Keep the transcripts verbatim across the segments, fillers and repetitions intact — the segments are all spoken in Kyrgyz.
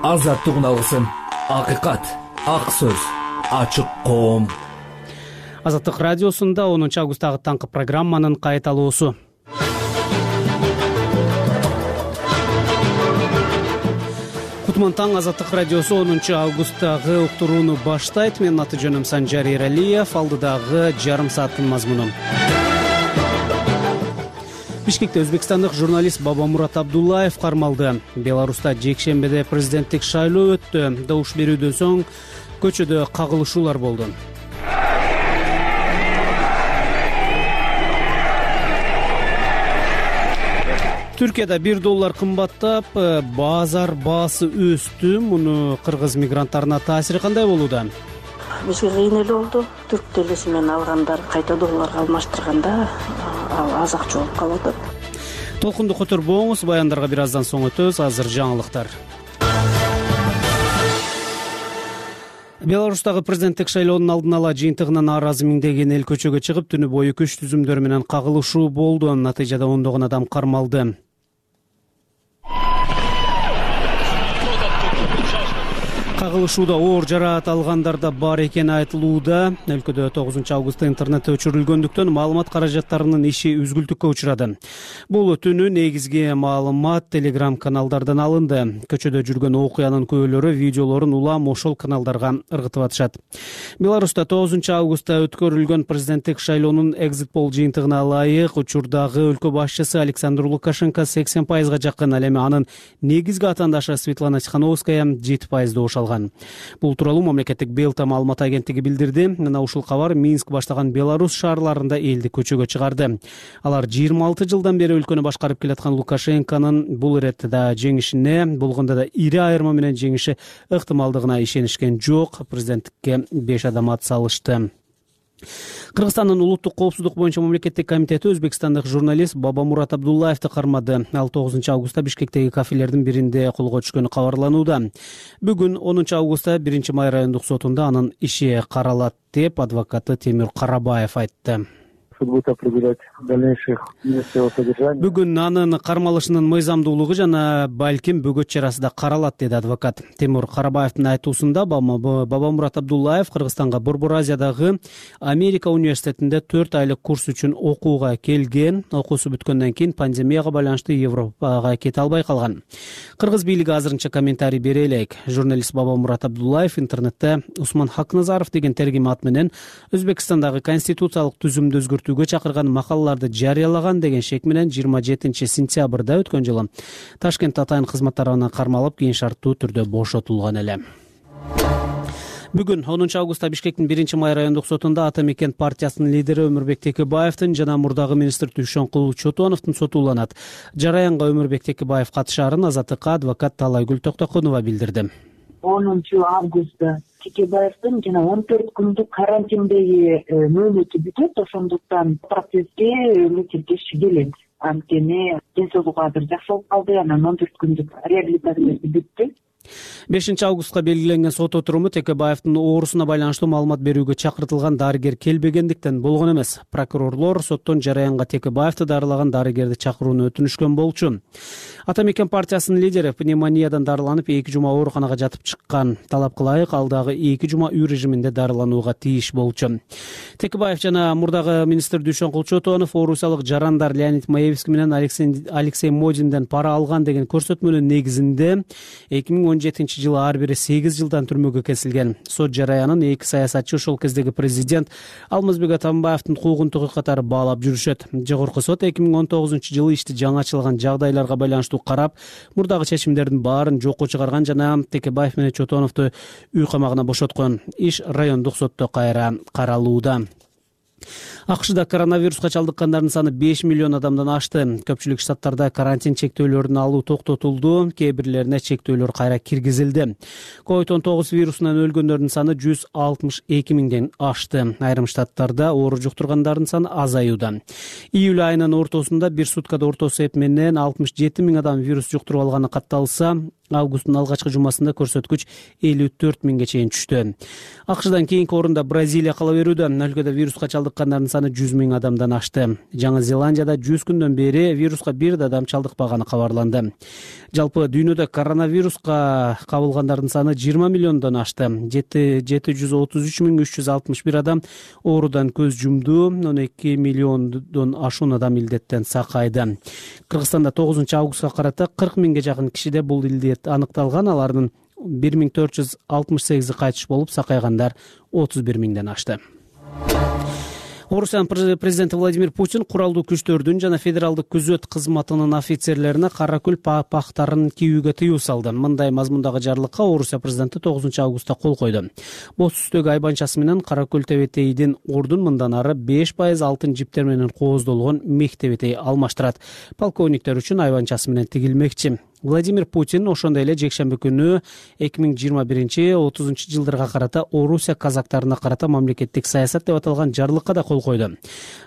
азаттык алгысың, акыйкат, ак сөз, ачык коом. Азаттык радиосунда онунчу августтагы таңкы программанын кайталоосу. Кутман таң, Азаттык радиосу онунчу августтагы уктурууну баштайт. Менин аты жөнүм Санжар Эралиев. Алдыдагы жарым сааттын мазмуну. Бишкекте өзбекстандык журналист Бабамурат Абдуллаев кармалды. Беларуста жекшембиде президенттик шайлоо өттү. Добуш берүүдөн соң көчөдө кагылышуулар болду. Түркияда бир доллар кымбаттап, базар баасы өстү. Муну кыргыз мигранттарына таасири кандай болууда? Бизге кыйын эле болду. Түрк телеси менен алгандар кайта долларга алмаштырганда ал аз акча болуп калып атат. Толкунду которбоңуз, баяндарга бир аздан соң өтөбүз. Азыр жаңылыктар. Беларустагы президенттик шайлоонун алдын ала жыйынтыгынан нааразы миңдеген эл көчөгө чыгып, түнү бою күч түзүмдөр менен кагылышуу болду. Натыйжада ондогон адам кармалды. Кагылышууда оор жараат алгандар да бар экени айтылууда. Өлкөдө тогузунчу августта интернет өчүрүлгөндүктөн маалымат каражаттарынын иши үзгүлтүккө учурады. Бул түнү негизги маалымат Telegram каналдардан алынды. Көчөдө жүргөн окуянын күбөлөрү видеолорун улам ошол каналдарга ыргытып атышат. Беларуста тогузунчу августта өткөрүлгөн президенттик шайлоонун экзит пол жыйынтыгына ылайык учурдагы өлкө башчысы Александр Лукашенко сексен пайызга жакын, ал эми анын негизги атаандашы Светлана Тихановская жети пайыз добуш алган. Бул тууралуу мамлекеттик Белта маалымат агенттиги билдирди. Мына ушул кабар Минск баштаган Беларусь шаарларында элди көчөгө чыгарды. Алар жыйырма алты жылдан бери өлкөнү башкарып келаткан Лукашенконун бул иретте да жеңишине, болгондо да ири айырма менен жеңиши ыктымалдыгына ишенишкен жок. Президенттикке беш адам ат салышты. Кыргызстандын улуттук коопсуздук боюнча мамлекеттик комитети өзбекстандык журналист Бабамурат Абдуллаевди кармады. Ал тогузунчу августта Бишкектеги кафелердин биринде колго түшкөнү кабарланууда. Бүгүн онунчу августта биринчи май райондук сотунда анын иши каралат деп адвокаты Темир Карабаев айтты. Бүгүн анын кармалышынын мыйзамдуулугу жана балким бөгөт чарасы да каралат, деди адвокат. Темир Карабаевдин айтуусунда Бабамурат Абдуллаев Кыргызстанга Борбор Азиядагы Америка университетинде төрт айлык курс үчүн окууга келген. Окуусу бүткөндөн кийин пандемияга байланыштуу Европага кете албай калган. Кыргыз бийлиги азырынча комментарий бере элек. Журналист Бабамурат Абдуллаев интернетте Усман Хакназаров деген тергим ат менен Өзбекстандагы конституциялык түзүмдү өзгөртүүгө чакырган макалаларды жарыялаган деген шек менен жыйырма жетинчи сентябрда өткөн жылы Ташкент атайын кызмат тарабынан кармалып, кийин шарттуу түрдө бошотулган эле. Бүгүн онунчу августта Бишкектин биринчи май райондук сотунда Ата Мекен партиясынын лидери Өмүрбек Текебаевдин жана мурдагы министр Дүйшөнкул Чотоновдун соту уланат. Жараянга Өмүрбек Текебаев катышаарын азаттыкка адвокат Талайгүл Токтокунова билдирди. онунчу августта Текебаевдин жана он төрт күндүк карантиндеги мөөнөтү бүтөт, ошондуктан процесске мектеп кириши келет. Анткени ден соолугу азыр жакшы болуп калды, анан он төрт күндүк реабилитациясы бүттү. бешинчи августка белгиленген сот отуруму Текебаевдин оорусуна байланыштуу маалымат берүүгө чакыртылган дарыгер келбегендиктен болгон эмес. Прокурорлор соттон Жараянга Текебаевди дарылаган дарыгерди чакырууну өтүнүшкөн болчу. Ата Мекен партиясынын лидери пневмониядан дарыланып эки жума ооруканага жатып чыккан. Талапка ылайык ал дагы эки жума үй режиминде дарыланууга тийиш болчу. Текебаев жана мурдагы министр Дүйшөнкул Чотонов орусиялык жарандар Леонид Маевский менен Алексей Модинден пара алган деген көрсөтмөнүн негизинде эки миң он жетинчи жылы ар бири сегиз жылдан түрмөгө кесилген. Сот жараянын эки саясатчы ошол кездеги президент Алмазбек Атамбаевдин куугунтугу катары баалап жүрүшөт. Жогорку сот эки миң он тогузунчу жылы ишти жаңачылган жагдайларга байланыштуу карап, мурдагы чечимдердин баарын жокко чыгарган жана Текебаев менен Чотоновду үй камагына бошоткон. Иш райондук сотто кайра каралууда. АКШда коронавируска чалдыккандардын саны беш миллион адамдан ашты. Көпчүлүк штаттарда карантин чектөөлөрүн алуу токтотулду, кээ бирлерине чектөөлөр кайра киргизилди. ковид он тогуз вирусунан өлгөндөрдүн саны жүз алтымыш эки миңден ашты. Айрым штаттарда оору жуктургандардын саны азаюуда. Июль айынын ортосунда бир суткада орто эсеп менен алтымыш жети миң адам вирус жуктуруп алганы катталса, Августтун алгачкы жумасында көрсөткүч элүү төрт миңге чейин түштү. АКШдан кийинки орунда Бразилия кала берүүдө. Өлкөдө вируска чалдыккандардын саны жүз миң адамдан ашты. Жаңы Зеландияда жүз күндөн бери вируска бир да адам чалдыкпаганы кабарланды. Жалпы дүйнөдө коронавируска кабылгандардын саны жыйырма миллиондон ашты. жети жүз отуз үч миң үч жүз алтымыш бир адам оорудан көз жумду. он эки миллиондон ашуун адам илдеттен сакайды. Кыргызстанда тогузунчу августка карата кырк миңге жакын кишиде бул илдет аныкталган. Алардын бир миң төрт жүз алтымыш сегизи кайтыш болуп, сакайгандар отуз бир миңден ашты. Орусиянын президенти Владимир Путин куралдуу күчтөрдүн жана федералдык күзөт кызматынын офицерлерине кара күл пактарын кийүүгө тыюу салды. Мындай мазмундагы жарлыкка Орусия президенти тогузунчу августта кол койду. Боз түстөгү айбанчасы менен кара күл тебетейдин ордун мындан ары беш пайыз алтын жиптер менен кооздолгон мех тебетей алмаштырат. Полковниктер үчүн айбанчасы менен тигилмекчи. Владимир Путин ошондой эле жекшемби күнү эки миң жыйырма биринчи отузунчу жылдарга карата Орусия казактарына карата мамлекеттик саясат деп аталган жарлыкка да кол койду.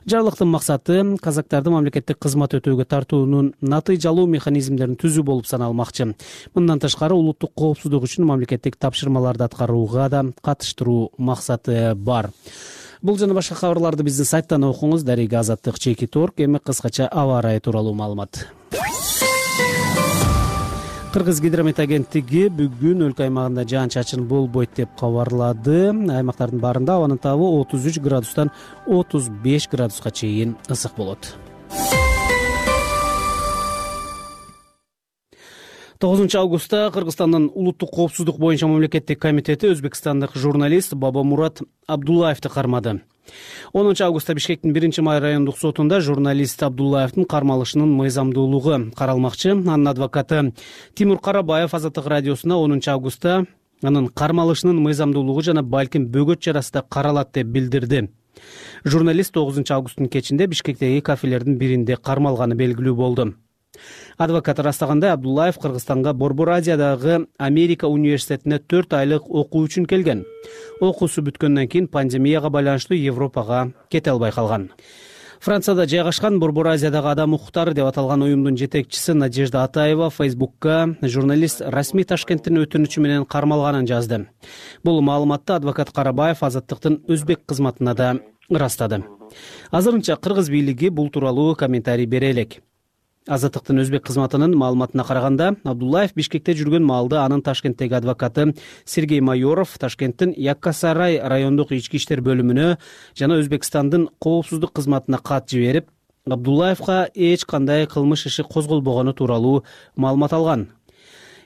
Жарлыктын максаты казактарды мамлекеттик кызмат өтөөгө тартуунун натыйжалуу механизмдерин түзүү болуп саналмакчы. Мындан тышкары улуттук коопсуздук үчүн мамлекеттик тапшырмаларды аткарууга да катыштыруу максаты бар. Бул жана башка кабарларды биздин сайттан окуңуз. Дарига Азаттык чекит точка орг. Эми кыскача аба ырайы тууралуу маалымат. Кыргыз гидромет агенттиги бүгүн өлкө аймагында жаан-чачын болбойт деп кабарлады. Аймактардын баарында абанын табы отуз үч градустан отуз беш градуска чейин ысык болот. тогузунчу августта Кыргызстандын улуттук коопсуздук боюнча мамлекеттик комитети өзбекстандык журналист Бабамурат Абдуллаевди кармады. онунчу августта Бишкектин биринчи май райондук сотунда журналист Абдуллаевдин кармалышынын мыйзамдуулугу каралмакчы. Анын адвокаты Тимур Карабаев Азаттык радиосуна онунчу августта анын кармалышынын мыйзамдуулугу жана балким бөгөт чарасы да каралат деп билдирди. Журналист тогузунчу августтун кечинде Бишкектеги кафелердин биринде кармалганы белгилүү болду. Адвокат ырастагандай, Абдуллаев Кыргызстанга Борбор Азиядагы Америка университетине төрт айлык окуу үчүн келген. Окуусу бүткөндөн кийин пандемияга байланыштуу Европага кете албай калган. Францияда жайгашкан Борбор Азиядагы адам укуктары деп аталган уюмдун жетекчиси Надежда Атаева Фейсбукка журналист расмий Ташкенттин өтүнүчү менен кармалганын жазды. Бул маалыматты адвокат Карабаев Азаттыктын өзбек кызматына да ырастады. Азырынча кыргыз бийлиги бул тууралуу комментарий бере элек. Азаттыктын өзбек кызматынын маалыматына караганда, Абдуллаев Бишкекте жүргөн маалда анын Ташкенттеги адвокаты Сергей Майоров Ташкенттин Яккасарай райондук ички иштер бөлүмүнө жана Өзбекстандын коопсуздук кызматына кат жиберип, Абдуллаевга эч кандай кылмыш иши козголбогону тууралуу маалымат алган.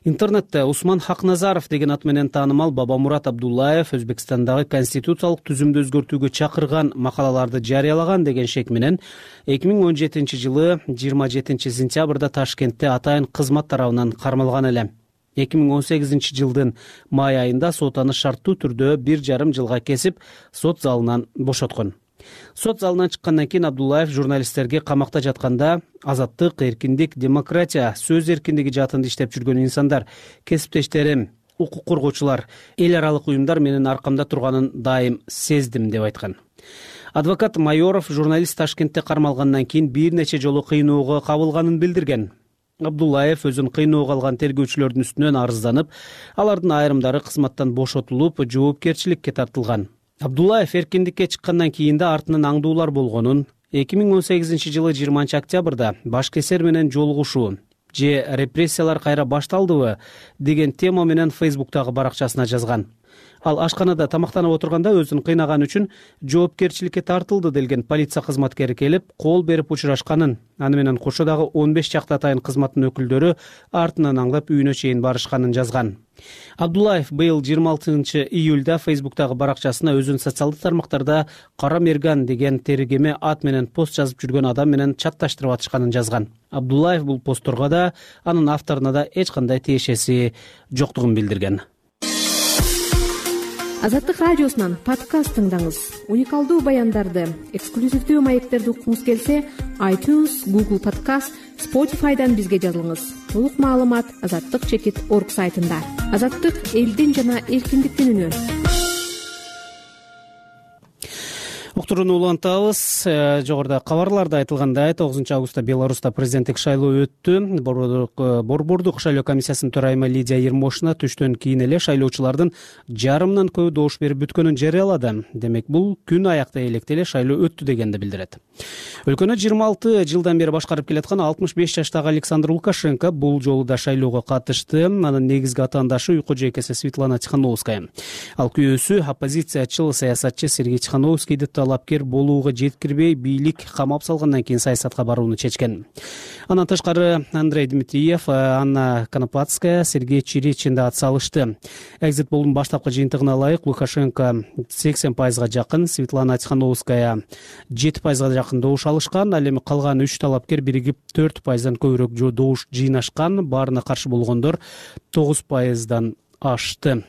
Интернетте Усман Хакназаров деген ат менен таанымал Бабамурат Абдуллаев Өзбекстандагы конституциялык түзүмдү өзгөртүүгө чакырган макалаларды жарыялаган деген шек менен эки миң он жетинчи жылы жыйырма жетинчи сентябрда Ташкентте атайын кызмат тарабынан кармалган эле. эки миң он сегизинчи жылдын май айында сот аны шарттуу түрдө бир жарым жылга кесип, сот залынан бошоткон. Сот залынан чыккандан кийин Абдуллаев журналисттерге камакта жатканда азаттык, эркиндик, демократия, сөз эркиндиги жаатында иштеп жүргөн инсандар, кесиптештерим, укук коргоочулар, эл аралык уюмдар менин аркамда турганын дайым сездим деп айткан. Адвокат Майоров журналист Ташкентте кармалгандан кийин бир нече жолу кыйноого кабылганын билдирген. Абдуллаев өзүн кыйноого алган тергөөчүлөрдүн үстүнөн арызданып, алардын айрымдары кызматтан бошотулуп, жоопкерчиликке тартылган. Абдуллаев эркиндикке чыккандан кийин да артынан аңдуулар болгонун, эки миң он сегизинчи жылы жыйырманчы октябрда башкесер менен жолугушуу же репрессиялар кайра башталдыбы деген тема менен Фейсбуктагы баракчасына жазган. Ал ашканада тамактанып отурганда өзүн кыйнаган үчүн жоопкерчиликке тартылды делген полиция кызматкери келип, кол берип учурашканын, аны менен кошо дагы он беш чакты атайын кызматтын өкүлдөрү артынан аңлап үйүнө чейин барышканын жазган. Абдуллаев быйыл жыйырма алтынчы июлда Фейсбуктагы баракчасына өзүн социалдык тармактарда Кара Мерган деген тергеме ат менен пост жазып жүргөн адам менен чатташтырып атышканын жазган. Абдуллаев бул постторго да, анын авторуна да эч кандай тиешеси жоктугун билдирген. Азаттык радиосунан подкаст тыңдаңыз. Уникалдуу баяндарды, эксклюзивдүү маектерди уккуңуз келсе, iTunes, Google Podcast, Spotify'дан бизге жазылыңыз. Толук маалымат азаттык чекит точка орг сайтында. Азаттык элдин жана эркиндиктин үнү. уктурууну улантабыз. Жогоруда кабарларда айтылгандай тогузунчу августта Беларуста президенттик шайлоо өттү. Борбордук шайлоо комиссиясынын төрайымы Лидия Ермошина түштөн кийин эле шайлоочулардын жарымынан көбү добуш берип бүткөнүн жарыялады. Демек бул күн аяктай электе эле шайлоо өттү дегенди билдирет. Өлкөнү жыйырма алты жылдан бери башкарып келаткан алтымыш беш жаштагы Александр Лукашенко бул жолу да шайлоого катышты. Анын негизги атаандашы уйку жейкеси Светлана Тихановская. Ал күйөөсү оппозициячыл саясатчы Сергей Тихановскийди талапкер болууга жеткирбей бийлик камап салгандан кийин саясатка барууну чечкен. Андан тышкары Андрей Дмитриев, Анна Конопатская, Сергей Чиричин да ат салышты. Экзит полдун баштапкы жыйынтыгына ылайык Лукашенко сексен пайызга жакын, Светлана Тихановская жети пайызга жакын добуш алышкан. Ал эми калган үч талапкер биригип төрт пайыздан көбүрөөк добуш жыйнашкан. Баарына каршы болгондор тогуз пайыздан ашты.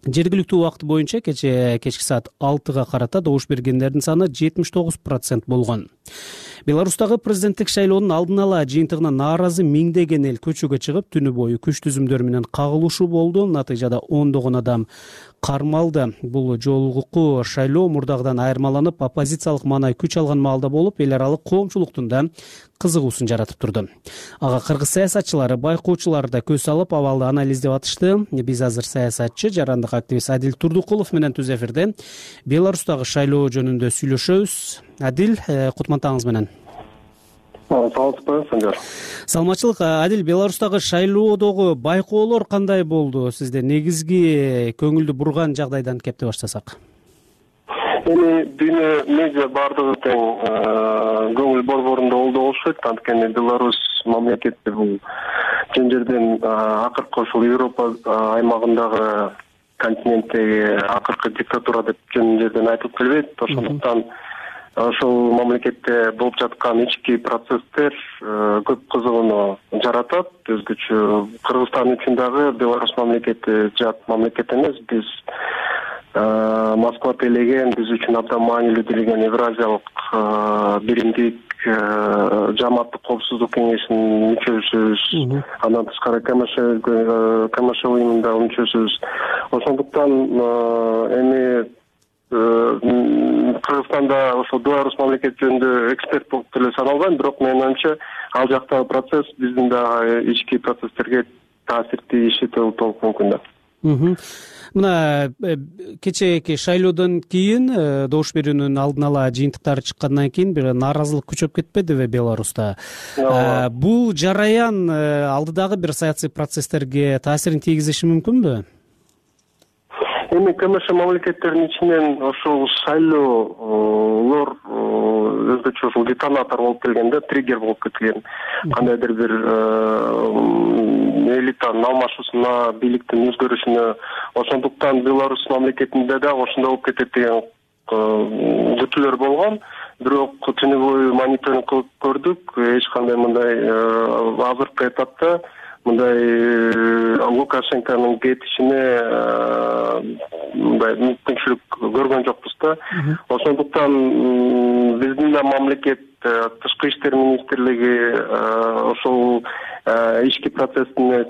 Жергиликтүү убакыт боюнча кече кечки саат алтыга карата добуш бергендердин саны жетимиш тогуз процент болгон. Беларустагы президенттик шайлоонун алдын ала жыйынтыгына нааразы миңдеген эл көчөгө чыгып, түнү бою күч түзүмдөр менен кагылышуу болду. Натыйжада ондогон адам кармалды. Бул жолугу шайлоо мурдагыдан айырмаланып, оппозициялык маанай күч алган маалда болуп, эл аралык коомчулуктун да кызыгуусун жаратып турду. Ага кыргыз саясатчылары, байкоочулар да көз салып, абалды анализдеп атышты. Биз азыр саясатчы, жарандык активист Адил Турдукулов менен түз эфирде Беларустагы шайлоо жөнүндө сүйлөшөбүз. Адил, кутмантаңыз менен. Саламатсызбы, Санжар? Саламатчылык. Адил, Беларустагы шайлоодогу байкоолор кандай болду сизде? Негизги көңүлдү бурган жагдайдан кепти баштасак. Эми дүйнө медиа бардыгы тең көңүл борборунда болду болушат. Анткени Беларусь мамлекети бул жөн жерден акыркы ушул Европа аймагындагы континенттеги акыркы диктатура деп жөн жерден айтылып келбейт. Ошондуктан ошол мамлекетте болуп жаткан ички процесстер көп кызыгууну жаратат. Өзгөчө Кыргызстан үчүн дагы Беларусь мамлекети жат мамлекет эмес. Биз Москва тейлеген, биз үчүн абдан маанилүү делеген Евразиялык биримдик жамааттык коопсуздук кеңешинин мүчөсүбүз. Андан тышкары КМШ уюмунда мүчөсүбүз. Ошондуктан эми Кыргызстанда ошол Беларусь мамлекети жөнүндө эксперт болуп деле саналбайм, бирок менин оюмча ал жактагы процесс биздин да ички процесстерге таасир тийиши толук мүмкүн да. Мына кечээки шайлоодон кийин добуш берүүнүн алдын ала жыйынтыктары чыккандан кийин бир нааразылык күчөп кетпедиби Беларуста? Бул жараян алдыдагы бир саясий процесстерге таасирин тийгизиши мүмкүнбү? Эми КМШ мамлекеттеринин ичинен ошол шайлоолор өзгөчө ушул детонатор болуп келгенде, триггер болуп кеткен. Кандайдыр бир элитанын алмашуусуна, бийликтин өзгөрүшүнө. Ошондуктан Беларусь мамлекетинде да ошондой болуп кетет деген күтүүлөр болгон. Бирок түнү бою мониторинг кылып көрдүк. Эч кандай мындай азыркы этапта мындай Лукашенконун кетишине мындай мүмкүнчүлүк көргөн жокпуз да. Ошондуктан биздин да мамлекет тышкы иштер министрлиги ошол ички процессине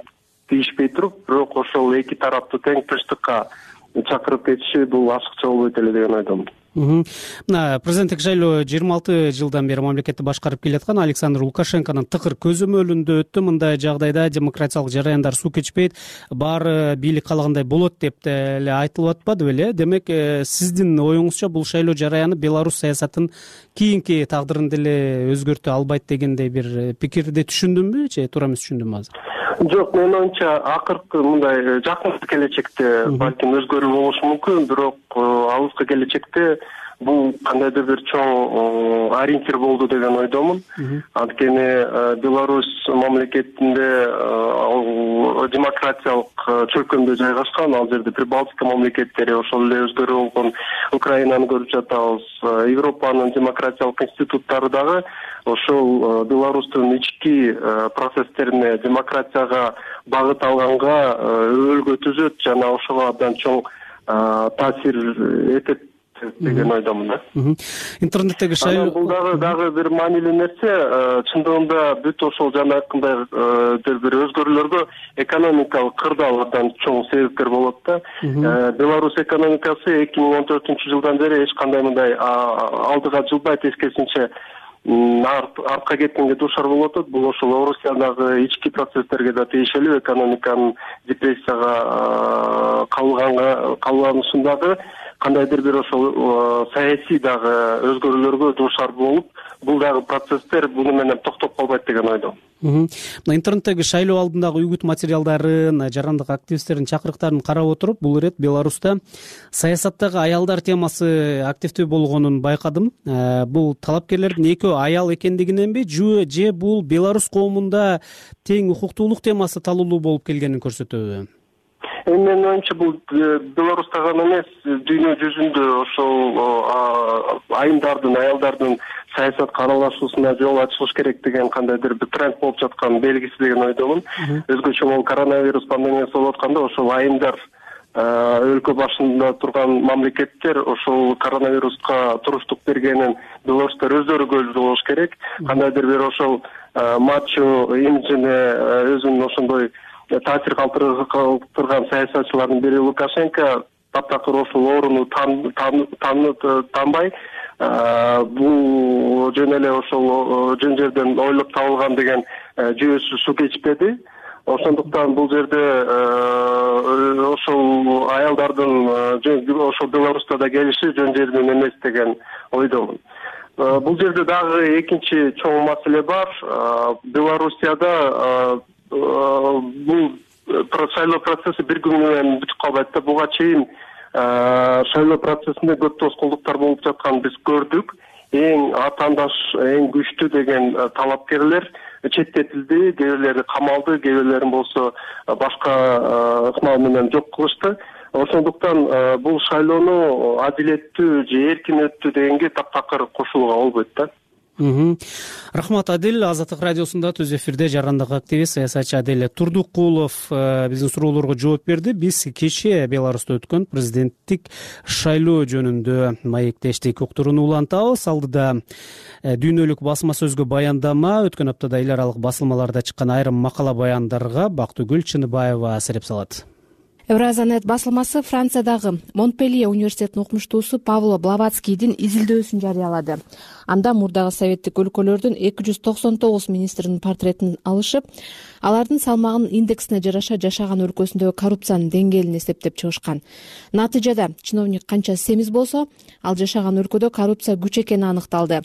тийишпей туруп, бирок ошол эки тарапты тең тынчтыкка чакырып кетиши бул ашыкча болбойт эле деген ойдомун. Мына президенттик шайлоо жыйырма алты жылдан бери мамлекетти башкарып келаткан Александр Лукашенконун тыкыр көзөмөлүндө өттү. Мындай жагдайда демократиялык жараяндар суу кечпейт, баары бийлик каалагандай болот деп деле айтылып атпады беле? Демек, сиздин оюңузча бул шайлоо жараяны Беларусь саясатын кийинки тагдырын деле өзгөртө албайт дегендей бир пикирди түшүндүмбү, же туура эмес түшүндүмбү азыр? Жок, менин оюмча акыркы мындай жакын келечекте балким өзгөрүү болушу мүмкүн, бирок алыскы келечекте бул кандайдыр бир чоң ориентир болду деген ойдомун. Анткени Беларусь мамлекетинде демократиялык чөлкөмдө жайгашкан, ал жерде Прибалтика мамлекеттери, ошол эле өзгөрүү болгон Украинаны көрүп жатабыз. Европанын демократиялык институттары дагы ошол Беларустун ички процесстерине, демократияга багыт алганга өбөлгө түзөт жана ошого абдан чоң таасир этет деген ойдомун да. Интернеттеги шайлоо бул дагы дагы бир маанилүү нерсе. Чындыгында бүт ошол жанакындай бир өзгөрүүлөргө экономикалык кырдаал абдан чоң себепкер болот да. Беларусь экономикасы эки миң он төртүнчү жылдан бери эч кандай мындай алдыга жылбай, тескерисинче артка кеткенге дуушар болуп атат. Бул ошол Орусиядагы ички процесстерге да тиешелүү, экономиканын депрессияга кабылганга кабылганышындагы кандайдыр бир ошол саясий дагы өзгөрүүлөргө дуушар болуп, бул дагы процесстер буну менен токтоп калбайт деген ойдомун. Мына интернеттеги шайлоо алдындагы үгүт материалдарын, жарандык активисттердин чакырыктарын карап отуруп, бул ирет Беларуста саясаттагы аялдар темасы активдүү болгонун байкадым. Бул талапкерлердин экөө аял экендигиненби, же бул Беларусь коомунда тең укуктуулук темасы талуулуу болуп келгенин көрсөтөбү? Эми менин оюмча бул Беларусьта гана эмес, дүйнө жүзүндө ошол айымдардын, аялдардын саясатка аралашуусуна жол ачылыш керек деген кандайдыр бир тренд болуп жаткан белгиси деген ойдомун. Өзгөчө могу коронавирус пандемиясы болуп атканда ошол айымдар өлкө башында турган мамлекеттер ошол коронавируска туруштук бергенин белорустар өздөрү көзү болуш керек. Кандайдыр бир ошол мачо имиджине өзүнүн ошондой таасир калтырган саясатчылардын бири Лукашенко таптакыр ошол орунду танбай, бул жөн эле ошол жөн жерден ойлоп табылган деген жүйөсү суу кечпеди. Ошондуктан бул жерде ошол аялдардын ошол Беларуста да келиши жөн жерден эмес деген ойдомун. Бул жерде дагы экинчи чоң маселе бар. Белоруссияда бул шайлоо процесси бир күн менен бүтүп калбайт да. Буга чейин шайлоо процессинде көп тоскоолдуктар болуп жатканын биз көрдүк. Эң атаандаш, эң күчтүү деген талапкерлер четтетилди, кээ бирлери камалды, кээ бирлерин болсо башка ыкмал менен жок кылышты. Ошондуктан бул шайлоону адилеттүү же эркин өттү дегенге таптакыр кошулууга болбойт да. Рахмат, Адил. Азаттык радиосунда түз эфирде жарандык активист, саясатчы Адил Турдукулов биздин суроолорго жооп берди. Биз кечээ Беларуста өткөн президенттик шайлоо жөнүндө маектештик, уктурууну улантабыз. Алдыда дүйнөлүк басма сөзгө баяндама, өткөн аптада эл аралык басылмаларда чыккан айрым макала баяндарга Бактыгүл Чыныбаева асыреп салат. Евразанет басылмасы Франциядагы Монпелье университетинин окумуштуусу Павло Блаватскийдин изилдөөсүн жарыялады. Анда мурдагы советтик өлкөлөрдүн эки жүз токсон тогуз министринин портретин алышып, алардын салмагынын индексине жараша жашаган өлкөсүндөгү коррупциянын деңгээлин эсептеп чыгышкан. Натыйжада чиновник канча семиз болсо, ал жашаган өлкөдө коррупция күч экени аныкталды.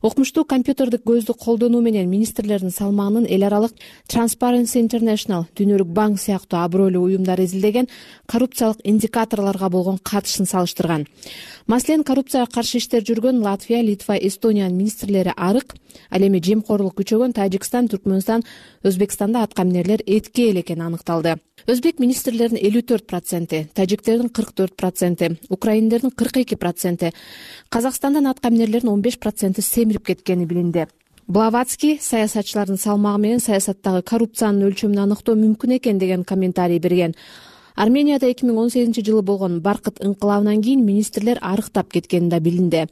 Окумуштуу компьютердик көздү колдонуу менен министрлердин салмагынын эл аралык Transparency International, Дүйнөлүк банк сыяктуу абройлуу уюмдар изилдеген коррупциялык индикаторлорго болгон катышын салыштырган. Маселен, коррупцияга каршы иштер жүргөн Латвия, Литва, Эстониянын министрлери арык, ал эми жемкорлук күчөгөн Тажикстан, Түркмөнстан, Өзбекстанда аткаминерлер этки эл экени аныкталды. Өзбек министрлеринин элүү төрт проценти, тажиктердин кырк төрт проценти, украиндердин кырк эки проценти, Казакстандан аткаминерлердин он беш проценти семирип кеткени билинди. Блаватский саясатчылардын салмагы менен саясаттагы коррупциянын өлчөмүн аныктоо мүмкүн экен деген комментарий берген. Арменияда эки миң он сегизинчи жылы болгон баркыт ыңкылабынан кийин министрлер арыктап кеткени да билинди.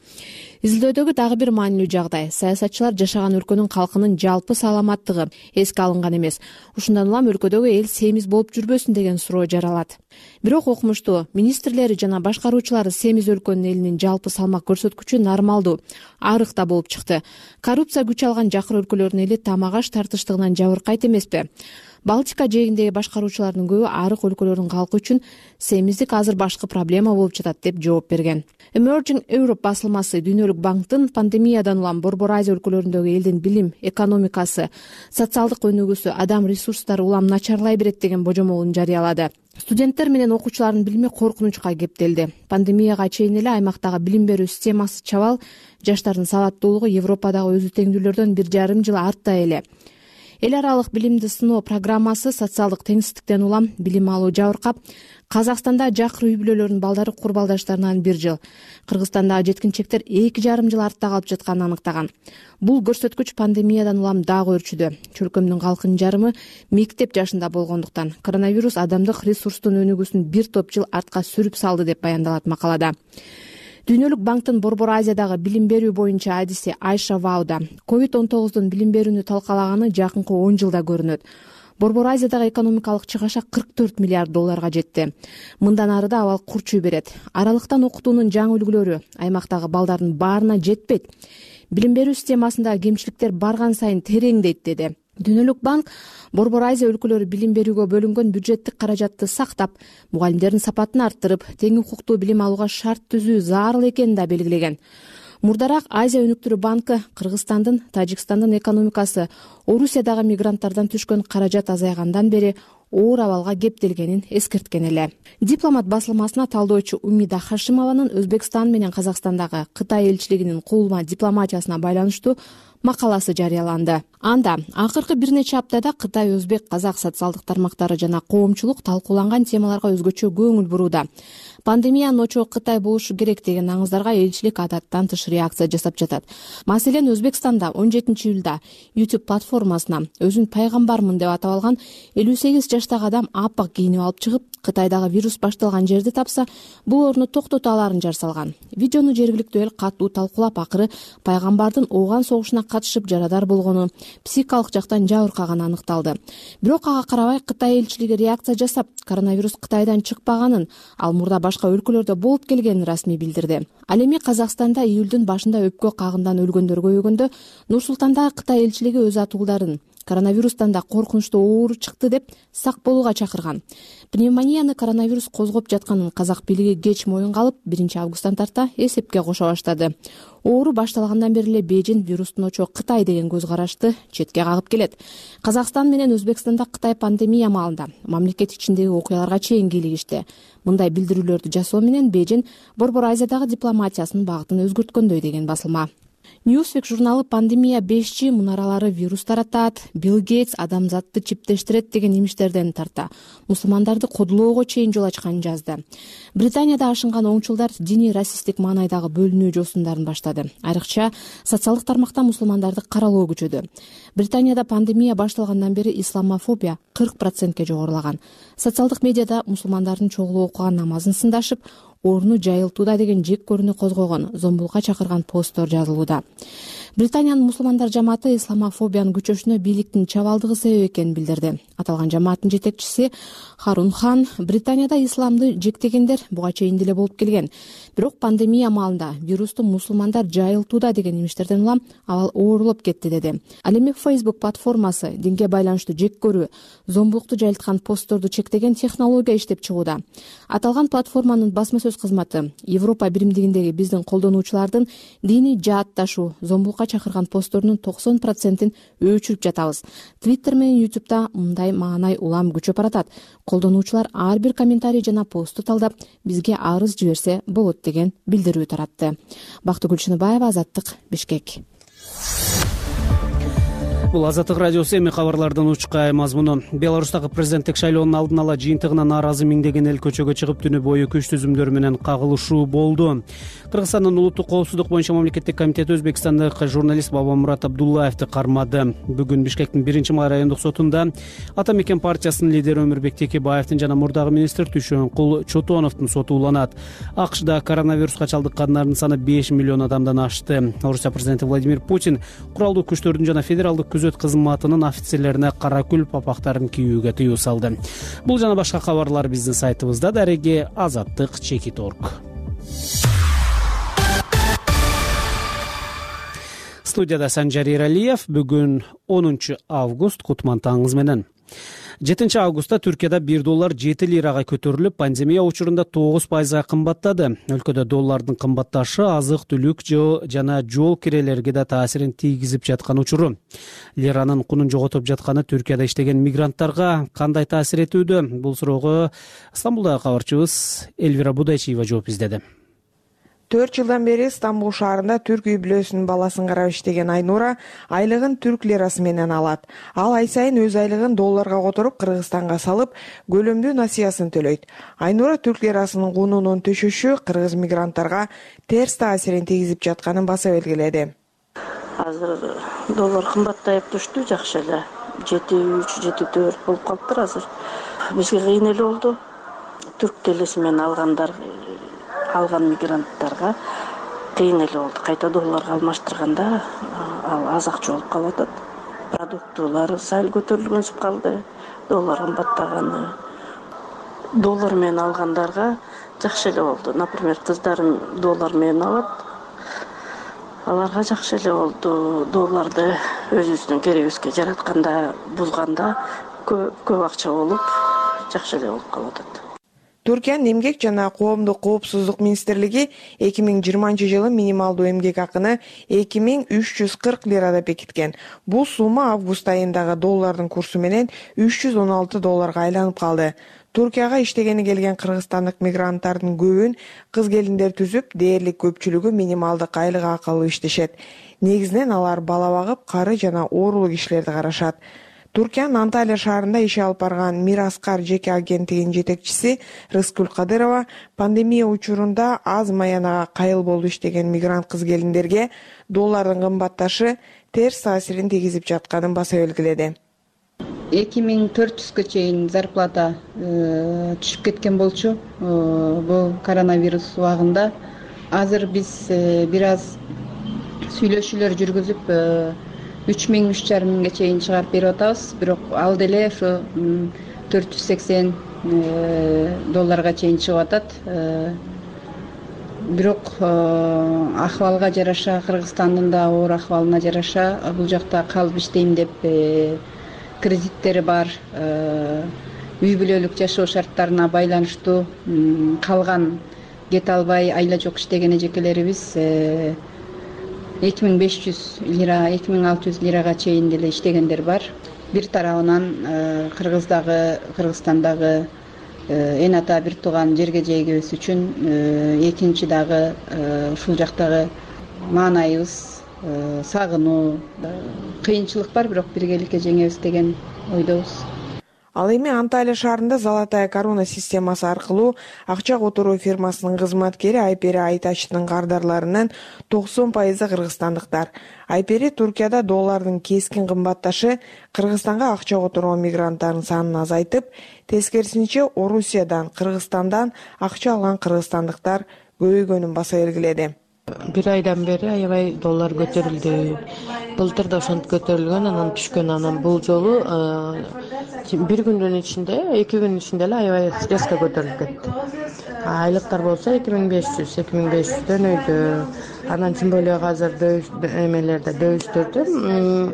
Изилдөөдөгү дагы бир маанилүү жагдай — саясатчылар жашаган өлкөнүн калкынын жалпы саламаттыгы эске алынган эмес. Ушундан улам өлкөдөгү эл семиз болуп жүрбөсүн деген суроо жаралат. Бирок окумуштуу министрлери жана башкаруучулары семиз өлкөнүн элинин жалпы салмак көрсөткүчү нормалдуу, арык да болуп чыкты. Коррупция күч алган жакыр өлкөлөрдүн эли тамак аш тартыштыгынан жабыркайт эмеспи? Балтика жээгиндеги башкаруучулардын көбү арык өлкөлөрдүн калкы үчүн семиздик азыр башкы проблема болуп жатат деп жооп берген. Emerging Europe басылмасы Дүйнөлүк банктын пандемиядан улам Борбор Азия өлкөлөрүндөгү элдин билим, экономикасы, социалдык өнүгүүсү, адам ресурстары улам начарлай берет деген божомолун жарыялады. Студенттер менен окуучулардын билими коркунучка кептелди. Пандемияга чейин эле аймактагы билим берүү системасы чабал, жаштардын сабаттуулугу Европадагы өзү теңдүүлөрдөн бир жарым жыл артта эле. Эл аралык билимди сыноо программасы социалдык теңсиздиктен улам билим алуу жабыркап, Казакстанда жакыр үй бүлөлөрүнүн балдары курбалдаштарынан бир жыл, Кыргызстандагы жеткинчектер эки жарым жыл артта калып жатканын аныктаган. Бул көрсөткүч пандемиядан улам дагы өрчүдү. Чөлкөмдүн калкынын жарымы мектеп жашында болгондуктан коронавирус адамдык ресурстун өнүгүүсүн бир топ жыл артка сүрүп салды деп баяндалат макалада. Дүйнөлүк банктын Борбор Азиядагы билим берүү боюнча адиси Айша Вауда ковид он тогуздун билим берүүнү талкалаганы жакынкы он жылда көрүнөт. Борбор Азиядагы экономикалык чыгаша кырк төрт миллиард долларга жетти. Мындан ары да абал курчуй берет. Аралыктан окутуунун жаңы үлгүлөрү аймактагы балдардын баарына жетпейт. Билим берүү системасында кемчиликтер барган сайын тереңдейт, деди. Дүйнөлүк банк Борбор Азия өлкөлөрү билим берүүгө бөлүнгөн бюджеттик каражатты сактап, мугалимдердин сапатын арттырып, тең укуктуу билим алууга шарт түзүү зарыл экенин да белгилеген. Мурдараак Азия өнүктүрүү банкы Кыргызстандын, Тажикстандын экономикасы Орусиядагы мигранттардан түшкөн каражат азайгандан бери оор абалга кептелгенин эскерткен эле. Дипломат басылмасына талдоочу Умида Хашимованын Өзбекстан менен Казакстандагы Кытай элчилигинин куулма дипломатиясына байланыштуу макаласы жарыяланды. Анда акыркы бир нече аптада Кытай, өзбек, казак социалдык тармактары жана коомчулук талкууланган темаларга өзгөчө көңүл бурууда. Пандемиянын очогу Кытай болушу керек деген аңыздарга элчилик адаттан тыш реакция жасап жатат. Маселен, Өзбекстанда он жетинчи июлда YouTube платформасына өзүн пайгамбармын деп атап алган элүү сегиз жаштагы адам апак кийинип алып чыгып, Кытайдагы вирус башталган жерди тапса, бул орунду токтото аларын жар салган. Видеону жергиликтүү эл катуу талкуулап, акыры пайгамбардын ооган согушуна катышып жарадар болгону, психикалык жактан жабыркаганы аныкталды. Бирок ага карабай Кытай элчилиги реакция жасап, коронавирус Кытайдан чыкпаганын, ал мурда башка өлкөлөрдө болуп келгенин расмий билдирди. Ал эми Казакстанда июлдун башында өпкө кагындан өлгөндөр көбөйгөндө Нур-Султандагы Кытай элчилиги өз атуулдарын коронавирустан да коркунучтуу оору чыкты деп сак болууга чакырган. Пневмонияны коронавирус козгоп жатканын казак бийлиги кеч моюнга алып, биринчи августтан тарта эсепке кошо баштады. Оору башталгандан бери эле Бейжин вирустун очогу Кытай деген көз карашты четке кагып келет. Казакстан менен Өзбекстанда Кытай пандемия маалында мамлекет ичиндеги окуяларга чейин кийлигишти. Мындай билдирүүлөрдү жасоо менен Бейжин Борбор Азиядагы дипломатиясынын багытын өзгөрткөндөй деген басылма. Newsweek журналы пандемия беш джи мунаралары вирус таратат, Билл Гейтс адамзатты чиптештирет деген имиштерден тарта мусулмандарды кодулоого чейин жол ачканын жазды. Британияда ашынган оңчулдар диний расисттик маанайдагы бөлүнүү жосундарын баштады. Айрыкча социалдык тармакта мусулмандарды каралоо күчөдү. Британияда пандемия башталгандан бери исламофобия кырк процентке жогорулаган. Социалдык медиада мусулмандардын чогулуп окуган намазын сындашып, орну жайылтууда деген жек көрүүнү козгогон, зомбулукка чакырган посттор жазылууда. Британиянын мусулмандар жамааты исламофобиянын күчөшүнө бийликтин чабалдыгы себеп экенин билдирди. Аталган жамааттын жетекчиси Харун Хан Британияда исламды жектегендер буга чейин деле болуп келген. Бирок пандемия маалында вирусту мусулмандар жайылтууда деген имиштерден улам абал оорулуп кетти, деди. Ал эми Facebook платформасы динге байланыштуу жек көрүү, зомбулукту жайылткан постторду чектеген технология иштеп чыгууда. Аталган платформанын басма сөз кызматы Европа биримдигиндеги биздин колдонуучулардын диний жаатташуу, зомбулукка чакырган постторунун токсон процентин өчүрүп жатабыз. Twitter менен YouTube'да мындай маанай улам күчөп баратат. Колдонуучулар ар бир комментарий жана посту талдап, бизге арыз жиберсе болот деген билдирүү таратты. Бактыгүл Чыныбаева, Азаттык, Бишкек. Бул Азаттык радиосу. Эми кабарлардын учкай мазмуну. Беларустагы президенттик шайлоонун алдын ала жыйынтыгына нааразы миңдеген эл көчөгө чыгып, түнү бою күч түзүмдөр менен кагылышуу болду. Кыргызстандын улуттук коопсуздук боюнча мамлекеттик комитети Өзбекстандык журналист Бабамурат Абдуллаевди кармады. Бүгүн Бишкектин биринчи май райондук сотунда Ата Мекен партиясынын лидери Өмүрбек Текебаевдин жана мурдагы министр Түшөнкул Чотоновдун соту уланат. АКШда коронавируска чалдыккандардын саны беш миллион адамдан ашты. Орусия президенти Владимир Путин куралдуу күчтөрдүн жана федералдык күзөт кызматынын офицерлерине кара күл папактарын кийүүгө тыюу салды. Бул жана башка кабарлар биздин сайтыбызда. Дареги азаттык чекит точка орг. Студияда Санжар Эралиев. Бүгүн онунчу август, кутман таңыңыз менен. жетинчи августта Түркияда бир доллар жети лирага көтөрүлүп, пандемия учурунда тогуз пайызга кымбаттады. Өлкөдө доллардын кымбатташы азык-түлүк жана жол кирелерге да таасирин тийгизип жаткан учуру. Лиранын кунун жоготуп жатканы Түркияда иштеген мигранттарга кандай таасир этүүдө? Бул суроого Стамбулдагы кабарчыбыз Эльвира Будайчиева жооп издеди. төрт жылдан бери Стамбул шаарында түрк үй бүлөсүнүн баласын карап иштеген Айнура айлыгын түрк лирасы менен алат. Ал ай сайын өз айлыгын долларга которуп Кыргызстанга салып, көлөмдүү насыясын төлөйт. Айнура түрк лирасынын кунунун түшүшү кыргыз мигранттарга терс таасирин тийгизип жатканын баса белгиледи. Азыр доллар кымбаттайып түштү, жакшы эле. жети үч, жети төрт болуп калыптыр азыр. Бизге кыйын эле болду. Түрк телеси менен алгандар алган мигранттарга кыйын эле болду. Кайта долларга алмаштырганда ал аз акча болуп калып атат. Продуктылар сәл көтөрүлгөнсүп калды. Доллар кымбаттаганы. Доллар менен алгандарга жакшы эле болду. Например, кыздарым доллар менен алат. Аларга жакшы эле болду. Долларды өзүбүздүн керегибизге жаратканда, бузганда көп акча болуп, жакшы эле болуп калып атат. Түркиянын эмгек жана коомдук коопсуздук министрлиги эки миң жыйырманчы жылы минималдуу эмгек акыны эки миң үч жүз кырк лирада бекиткен. Бул сумма август айындагы доллардын курсу менен үч жүз он алты долларга айланып калды. Туркияга иштегени келген кыргызстандык мигранттардын көбүн кыз-келиндер түзүп, дээрлик көпчүлүгү минималдык айлык акы алып иштешет. Негизинен алар бала багып, кары жана оорулук иштерди карашат. Туркиянын Анталия шаарында иш алып барган Мираскар жеке агенттигинин жетекчиси Рыскүл Кадырова пандемия учурунда аз маянага кайыл болуп иштеген мигрант кыз-келиндерге доллардын кымбатташы терс таасирин тийгизип жатканын баса белгиледи. эки миң төрт жүзгө чейин зарплата түшүп кеткен болчу бул коронавирус убагында. Азыр биз бир аз сүйлөшүүлөр жүргүзүп үч миң үч жарым миңге чейин чыгарып берип атабыз. Бирок ал деле ошо төрт жүз сексен долларга чейин чыгып атат. Бирок акыбалга жараша, Кыргызстандын да оор акыбалына жараша бул жакта калып иштейм деп кредиттери бар, үй бүлөлүк жашоо шарттарына байланыштуу калган кете албай айла жок иштеген эжекелерибиз эки миң беш жүз лира, эки миң алты жүз лирага чейин деле иштегендер бар. Бир тарабынан Кыргыздагы, Кыргызстандагы эн ата бир тууган жерге жегибиз үчүн, экинчи дагы ушул жактагы маанайыбыз, сагынуу, кыйынчылык бар, бирок биргеликке жеңебиз деген ойдобуз. Ал эми Анталия шаарында Золотая корона системасы аркылуу акча которуу фирмасынын кызматкери Айпери Айтачтын кардарларынын токсон пайызы кыргызстандыктар. Айпери Туркияда доллардын кескин кымбатташы Кыргызстанга акча которгон мигранттардын санын азайтып, тескерисинче Орусиядан, Кыргызстандан акча алган кыргызстандыктар көбөйгөнүн баса белгиледи. Бир айдан бери аябай доллар көтөрүлдү. Былтыр да ошентип көтөрүлгөн, анан түшкөн. Анан бул жолу бир күндүн ичинде, эки күндүн ичинде эле аябай резко көтөрүлүп кетти. Айлыктар болсо эки миң беш жүз, эки миң беш жүздөн өйдө. Анан тем более азыр эмелерде, дөбүштөрдө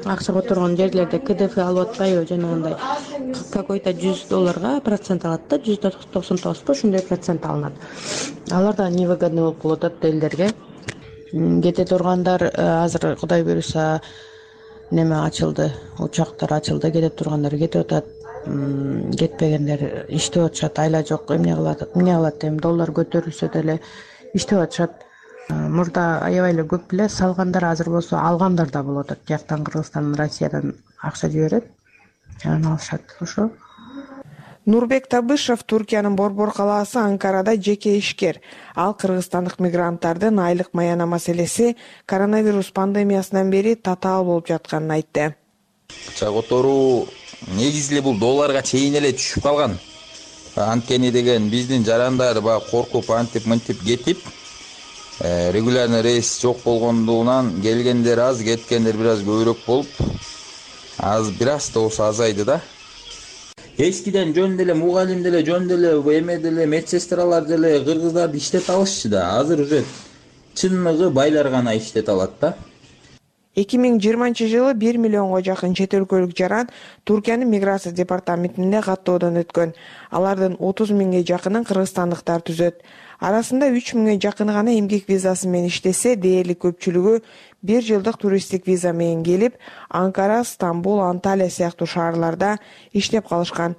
акча которгон жерлерде КДФ алып атпайбы, жанагындай какой-то жүз долларга процент алат да, жүз токсон тогузбу ушундай процент алынат. Алар да невыгодный болуп калып атат элдерге. Кете тургандар азыр Кудай буйруса неме ачылды, учактар ачылды, кете тургандар кетип атат, кетпегендер иштеп атышат, айла жок, эмне кылат, эмне кылат эми доллар көтөрүлсө деле иштеп атышат. Мурда аябай эле көп эле салгандар, азыр болсо алгандар да болуп атат. Жактан Кыргызстандан, Россиядан акча жиберет, анан алышат. Ошо. Нурбек Табышев Туркиянын Борбор калаасы Анкарада жеке ишкер. Ал кыргызстандык мигранттардын айлык маяна маселеси коронавирус пандемиясынан бери татаал болуп жатканын айтты. Акча которуу негизи эле бул долларга чейин эле түшүп калган. Анткени деген биздин жарандар баягы коркуп антип мынтип кетип, регулярный рейс жок болгондугунан келгендер аз, кеткендер бир аз көбүрөөк болуп, аз бир аз да болсо азайды да. Эскиден жөн деле мугалим деле, жөн деле, эме деле, медсестралар деле кыргыздарды иштете алышчы да. Азыр уже чынныгы байлар гана иштете алат да. эки миң жыйырманчы жылы бир миллионго жакын чет өлкөлүк жаран Туркиянын миграция департаментинде каттоодон өткөн. Алардын отуз миңге жакынын кыргызстандыктар түзөт. Арасында үч миңге жакыны гана эмгек визасы менен иштесе, дээрлик көпчүлүгү бир жылдык туристтик виза менен келип, Анкара, Стамбул, Анталия сыяктуу шаарларда иштеп калышкан.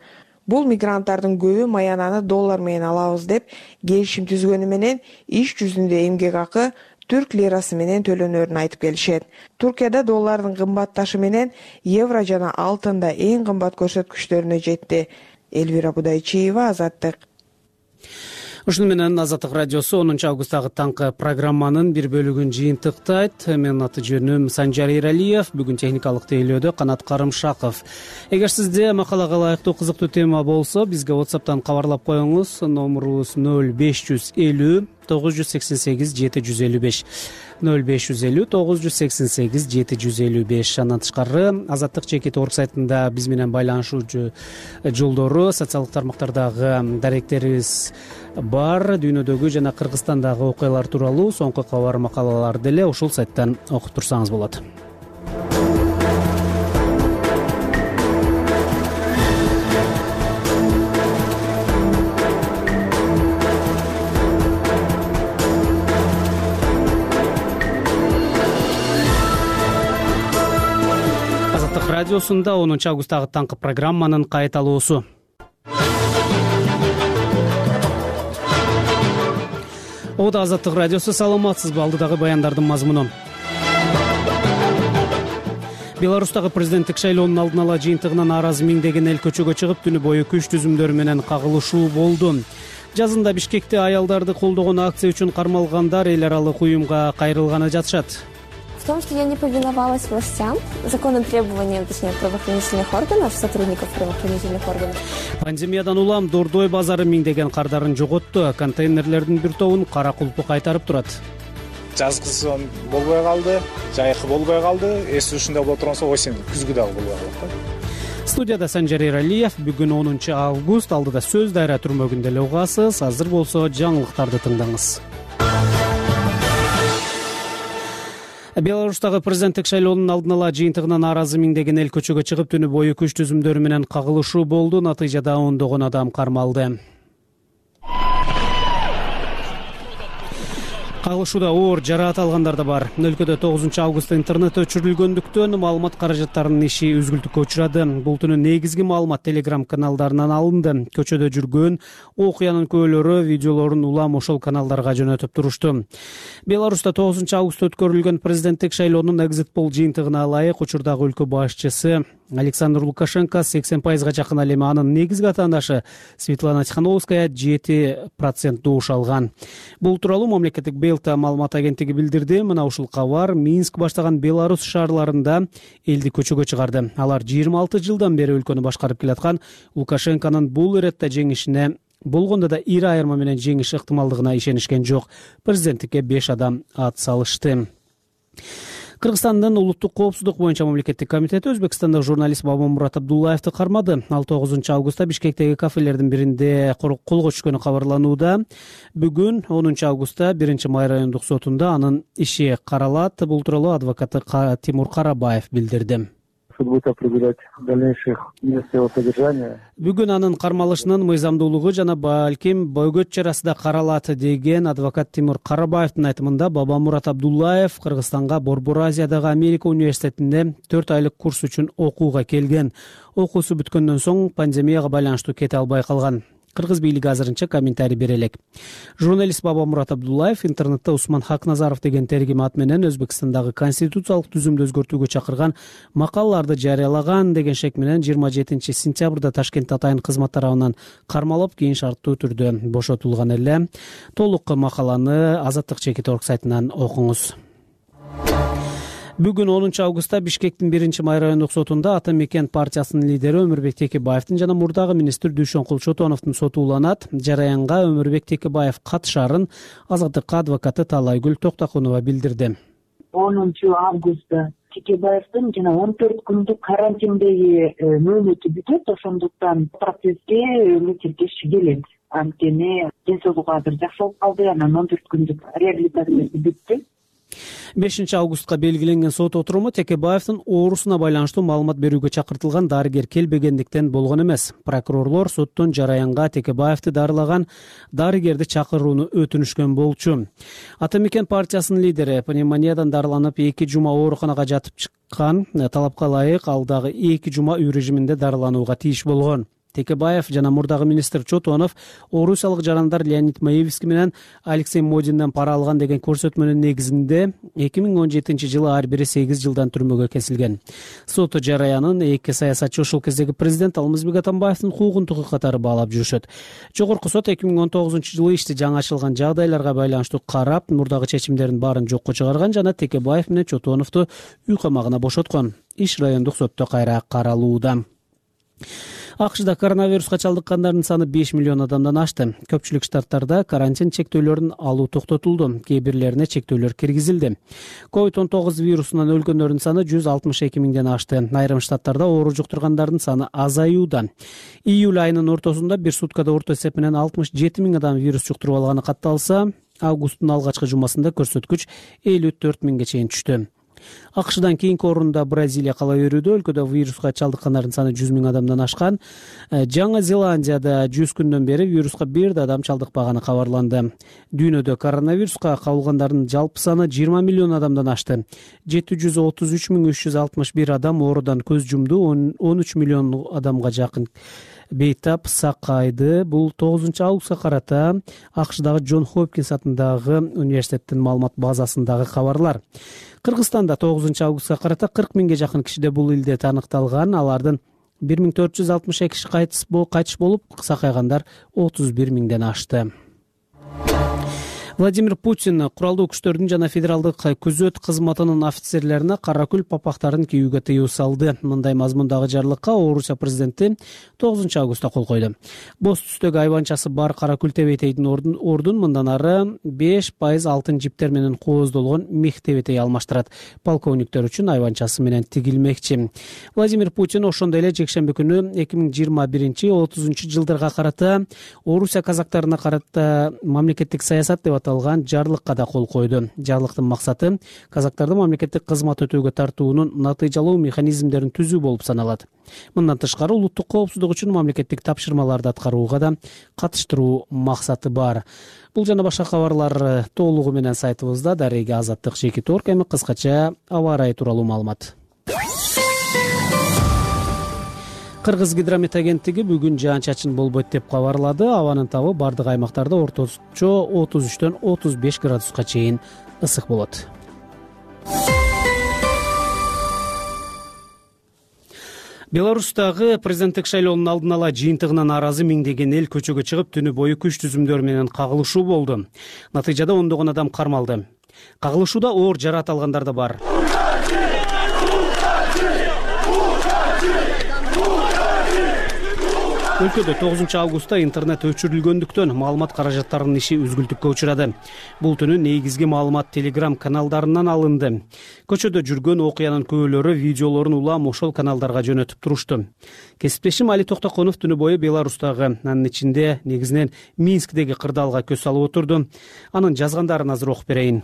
Бул мигранттардын көбү маянаны доллар менен алабыз деп келишим түзгөнү менен иш жүзүндө эмгек акы түрк лирасы менен төлөнөрүн айтып келишет. Туркияда доллардын кымбатташы менен евро жана алтын да эң кымбат көрсөткүчтөрүнө жетти. Элвира Будайчиева, Азаттык. Ушуну менен Азаттык радиосу онунчу августтагы таңкы программанын бир бөлүгүн жыйынтыктайт. Менин аты жөнүм Санжар Иралиев, бүгүн техникалык тейлөөдө Канат Карымшаков. Эгер сизде макалага ылайыктуу кызыктуу тема болсо, бизге WhatsApp'тан кабарлап коюңуз. Номерубуз нөл беш жүз элүү тогуз жүз сексен сегиз жети жүз элүү беш ноль беш жүз элүү тогуз жүз сексен сегиз жети жүз элүү беш. Андан тышкары Азаттык чекит орг сайтында биз менен байланышуу жолдору, социалдык тармактардагы даректерибиз бар. Дүйнөдөгү жана Кыргызстандагы окуялар тууралуу соңку кабар макалаларды деле ушул сайттан окуп турсаңыз болот. Азаттык радиосунда онунчу августтагы таңкы программанын кайталоосу. Ода Азаттык радиосу, саламатсызбы? Алдыдагы баяндардын мазмуну. Беларустагы президенттик шайлоонун алдын ала жыйынтыгына нааразы миңдеген эл көчөгө чыгып, түнү бою күч түзүмдөрү менен кагылышуу болду. Жазында Бишкекте аялдарды колдогон акция үчүн кармалгандар эл аралык уюмга кайрылганы жатышат. В том, что я не повиновалась властям, законным требованиям, точнее, правоохранительных органов, сотрудников правоохранительных органов. Пандемиядан улам Дордой базары миңдеген кардарын жоготту. Контейнерлердин бир тобун кара кулпу кайтарып турат. Жазгысы болбой калды, жайкы болбой калды, эс ушунда боло турганса осень күзгү дагы болбой калат. Студияда Санжар Эралиев. Бүгүн онунчу август, алдыда сөз дайра түрмөгүндө эле угасыз. Азыр болсо жаңылыктарды тыңдаңыз. Беларустагы президенттик шайлоонун алдын ала жыйынтыгына нааразы миңдеген эл көчөгө чыгып, түнү бою күч түзүмдөрү менен кагылышуу болду. Натыйжада ондогон адам кармалды. Кагылышууда оор жараат алгандар да бар. Өлкөдө тогузунчу августта интернет өчүрүлгөндүктөн маалымат каражаттарынын иши үзгүлтүккө учурады. Бул түнү негизги маалымат Telegram каналдарынан алынды. Көчөдө жүргөн окуянын күбөлөрү видеолорун улам ошол каналдарга жөнөтүп турушту. Беларуста тогузунчу августта өткөрүлгөн президенттик шайлоонун экзит пол жыйынтыгына ылайык учурдагы өлкө башчысы Александр Лукашенко сексен пайызга жакын, ал эми анын негизги атаандашы Светлана Тихановская жети процент добуш алган. Бул тууралуу мамлекеттик Белта маалымат агенттиги билдирди. Мына ушул кабар Минск баштаган Беларусь шаарларында элди көчөгө чыгарды. Алар жыйырма алты жылдан бери өлкөнү башкарып келаткан Лукашенконун бул иретте жеңишине, болгондо да ири айырма менен жеңиш ыктымалдыгына ишенишкен жок. Президенттикке беш адам ат салышты. Кыргызстандын улуттук коопсуздук боюнча мамлекеттик комитети Өзбекстандык журналист Бабамурат Абдуллаевди кармады. Ал тогузунчу августта Бишкектеги кафелердин биринде колго түшкөнү кабарланууда. Бүгүн онунчу августта биринчи май райондук сотунда анын иши каралат. Бул тууралуу адвокаты Тимур Карабаев билдирди. Суд будет определять дальнейших мест его содержания. Бүгүн анын кармалышынын мыйзамдуулугу жана балким бөгөт чарасы да каралат деген адвокат Тимур Карабаевдин айтымында Бабамурат Абдуллаев Кыргызстанга Борбор Азиядагы Америка университетинде төрт айлык курс үчүн окууга келген. Окуусу бүткөндөн соң пандемияга байланыштуу кете албай калган. Кыргыз бийлиги азырынча комментарий бере элек. Журналист Бабамурат Абдуллаев интернетте Усман Хакназаров деген тергим ат менен Өзбекстандагы конституциялык түзүмдү өзгөртүүгө чакырган макалаларды жарыялаган деген шек менен жыйырма жетинчи сентябрда Ташкентте атайын кызмат тарабынан кармалып, кийин шарттуу түрдө бошотулган эле. Толук макаланы Азаттык чекит орг сайтынан окуңуз. Бүгүн онунчу августта Бишкектин биринчи май райондук сотунда Ата Мекен партиясынын лидери Өмүрбек Текебаевдин жана мурдагы министр Дүйшөнкул Чотоновдун соту уланат. Жараянга Өмүрбек Текебаев катышарын Азаттык адвокаты Талайгүл Токтокунова билдирди. онунчу августта Текебаевдин жана он төрт күндүк карантиндеги мөөнөтү бүтөт, ошондуктан процесске эле тиркеши келет. Анткени ден соолугу азыр жакшы болуп калды, анан он төрт күндүк реабилитациясы бүттү. бешинчи августка белгиленген сот отуруму Текебаевдин оорусуна байланыштуу маалымат берүүгө чакыртылган дарыгер келбегендиктен болгон эмес. Прокурорлор соттун Жараянга Текебаевди дарылаган дарыгерди чакырууну өтүнүшкөн болчу. Ата Мекен партиясынын лидери пневмониядан дарыланып эки жума ооруканага жатып чыккан. Талапка ылайык ал дагы эки жума үй режиминде дарыланууга тийиш болгон. Текебаев жана мурдагы министр Чотонов орусиялык жарандар Леонид Маевский менен Алексей Модинден пара алган деген көрсөтмөнүн негизинде эки миң он жетинчи жылы ар бири сегиз жылдан түрмөгө кесилген. Сот Жараянын эки саясатчы ошол кездеги президент Алмазбек Атамбаевдин куугунтугу катары баалап жүрүшөт. Жогорку сот эки миң он тогузунчу жылы ишти жаңы ачылган жагдайларга байланыштуу карап, мурдагы чечимдердин баарын жокко чыгарган жана Текебаев менен Чотоновду үй камагына бошоткон. Иш райондук сотто кайра каралууда. акшда коронавируска чалдыккандардын саны беш миллион адамдан ашты. Көпчүлүк штаттарда карантин чектөөлөрүн алуу токтотулду, кээ бирлерине чектөөлөр киргизилди. ковид он тогуз вирусунан өлгөндөрдүн саны жүз алтымыш эки миңден ашты. Айрым штаттарда оору жуктургандардын саны азаюуда. Июль айынын ортосунда бир суткада орто эсеп менен алтымыш жети миң адам вирус жуктуруп алганы катталса, августтун алгачкы жумасында көрсөткүч элүү төрт миңге чейин түштү. акшдан кийинки орунда Бразилия кала берүүдө. Өлкөдө вируска чалдыккандардын саны жүз миң адамдан ашкан. Жаңы Зеландияда жүз күндөн бери вируска бир да адам чалдыкпаганы кабарланды. Дүйнөдө коронавируска кабылгандардын жалпы саны жыйырма миллион адамдан ашты. жети жүз отуз үч миң үч жүз алтымыш бир адам оорудан көз жумду. он үч миллион адамга жакын бейтап сакайды. Бул тогузунчу августка карата акшдагы Джон Хопкинс атындагы университеттин маалымат базасындагы кабарлар. Кыргызстанда тогузунчу августка карата кырк миңге жакын кишиде бул илдет аныкталган. Алардын бир миң төрт жүз алтымыш эки киши кайтыш болуп, сакайгандар отуз бир миңден ашты. Владимир Путин куралдуу күчтөрдүн жана федералдык күзөт кызматынын офицерлерине кара күл папактарын кийүүгө тыюу салды. Мындай мазмундагы жарлыкка Орусия президенти тогузунчу августта кол койду. Боз түстөгү айбанчасы бар кара күл тебетейдин ордун ордун мындан ары беш пайыз алтын жиптер менен кооздолгон мех тебетей алмаштырат. Полковниктер үчүн айбанчасы менен тигилмекчи. Владимир Путин ошондой эле жекшемби күнү эки миң жыйырма биринчи отузунчу жылдарга карата Орусия казактарына карата мамлекеттик саясат деп аталган жарлыкка да кол койду. Жарлыктын максаты казактарды мамлекеттик кызмат өтөөгө тартуунун натыйжалуу механизмдерин түзүү болуп саналат. Мындан тышкары улуттук коопсуздук үчүн мамлекеттик тапшырмаларды аткарууга да катыштыруу максаты бар. Бул жана башка кабарлар толугу менен сайтыбызда. Дарега Азаттык Жеки Торк. Эми кыскача аба ырайы тууралуу маалымат. Кыргыз гидромет агенттиги бүгүн жаан-чачын болбойт деп кабарлады. Абанын табы бардык аймактарда орточо отуз үчтөн отуз беш градуска чейин ысык болот. Беларустагы президенттик шайлоонун алдын ала жыйынтыгына нааразы миңдеген эл көчөгө чыгып, түнү бою күч түзүмдөр менен кагылышуу болду. Натыйжада ондогон адам кармалды. Кагылышууда оор жараат алгандар да бар. Өлкөдө тогузунчу августта интернет өчүрүлгөндүктөн маалымат каражаттарынын иши үзгүлтүккө учурады. Бул түнү негизги маалымат Telegram каналдарынан алынды. Көчөдө жүргөн окуянын күбөлөрү видеолорун улам ошол каналдарга жөнөтүп турушту. Кесиптешим Али Токтоконов түнү бою Беларустагы, анын ичинде негизинен Минскдеги кырдаалга көз салып отурду. Анын жазгандарын азыр окуп берейин.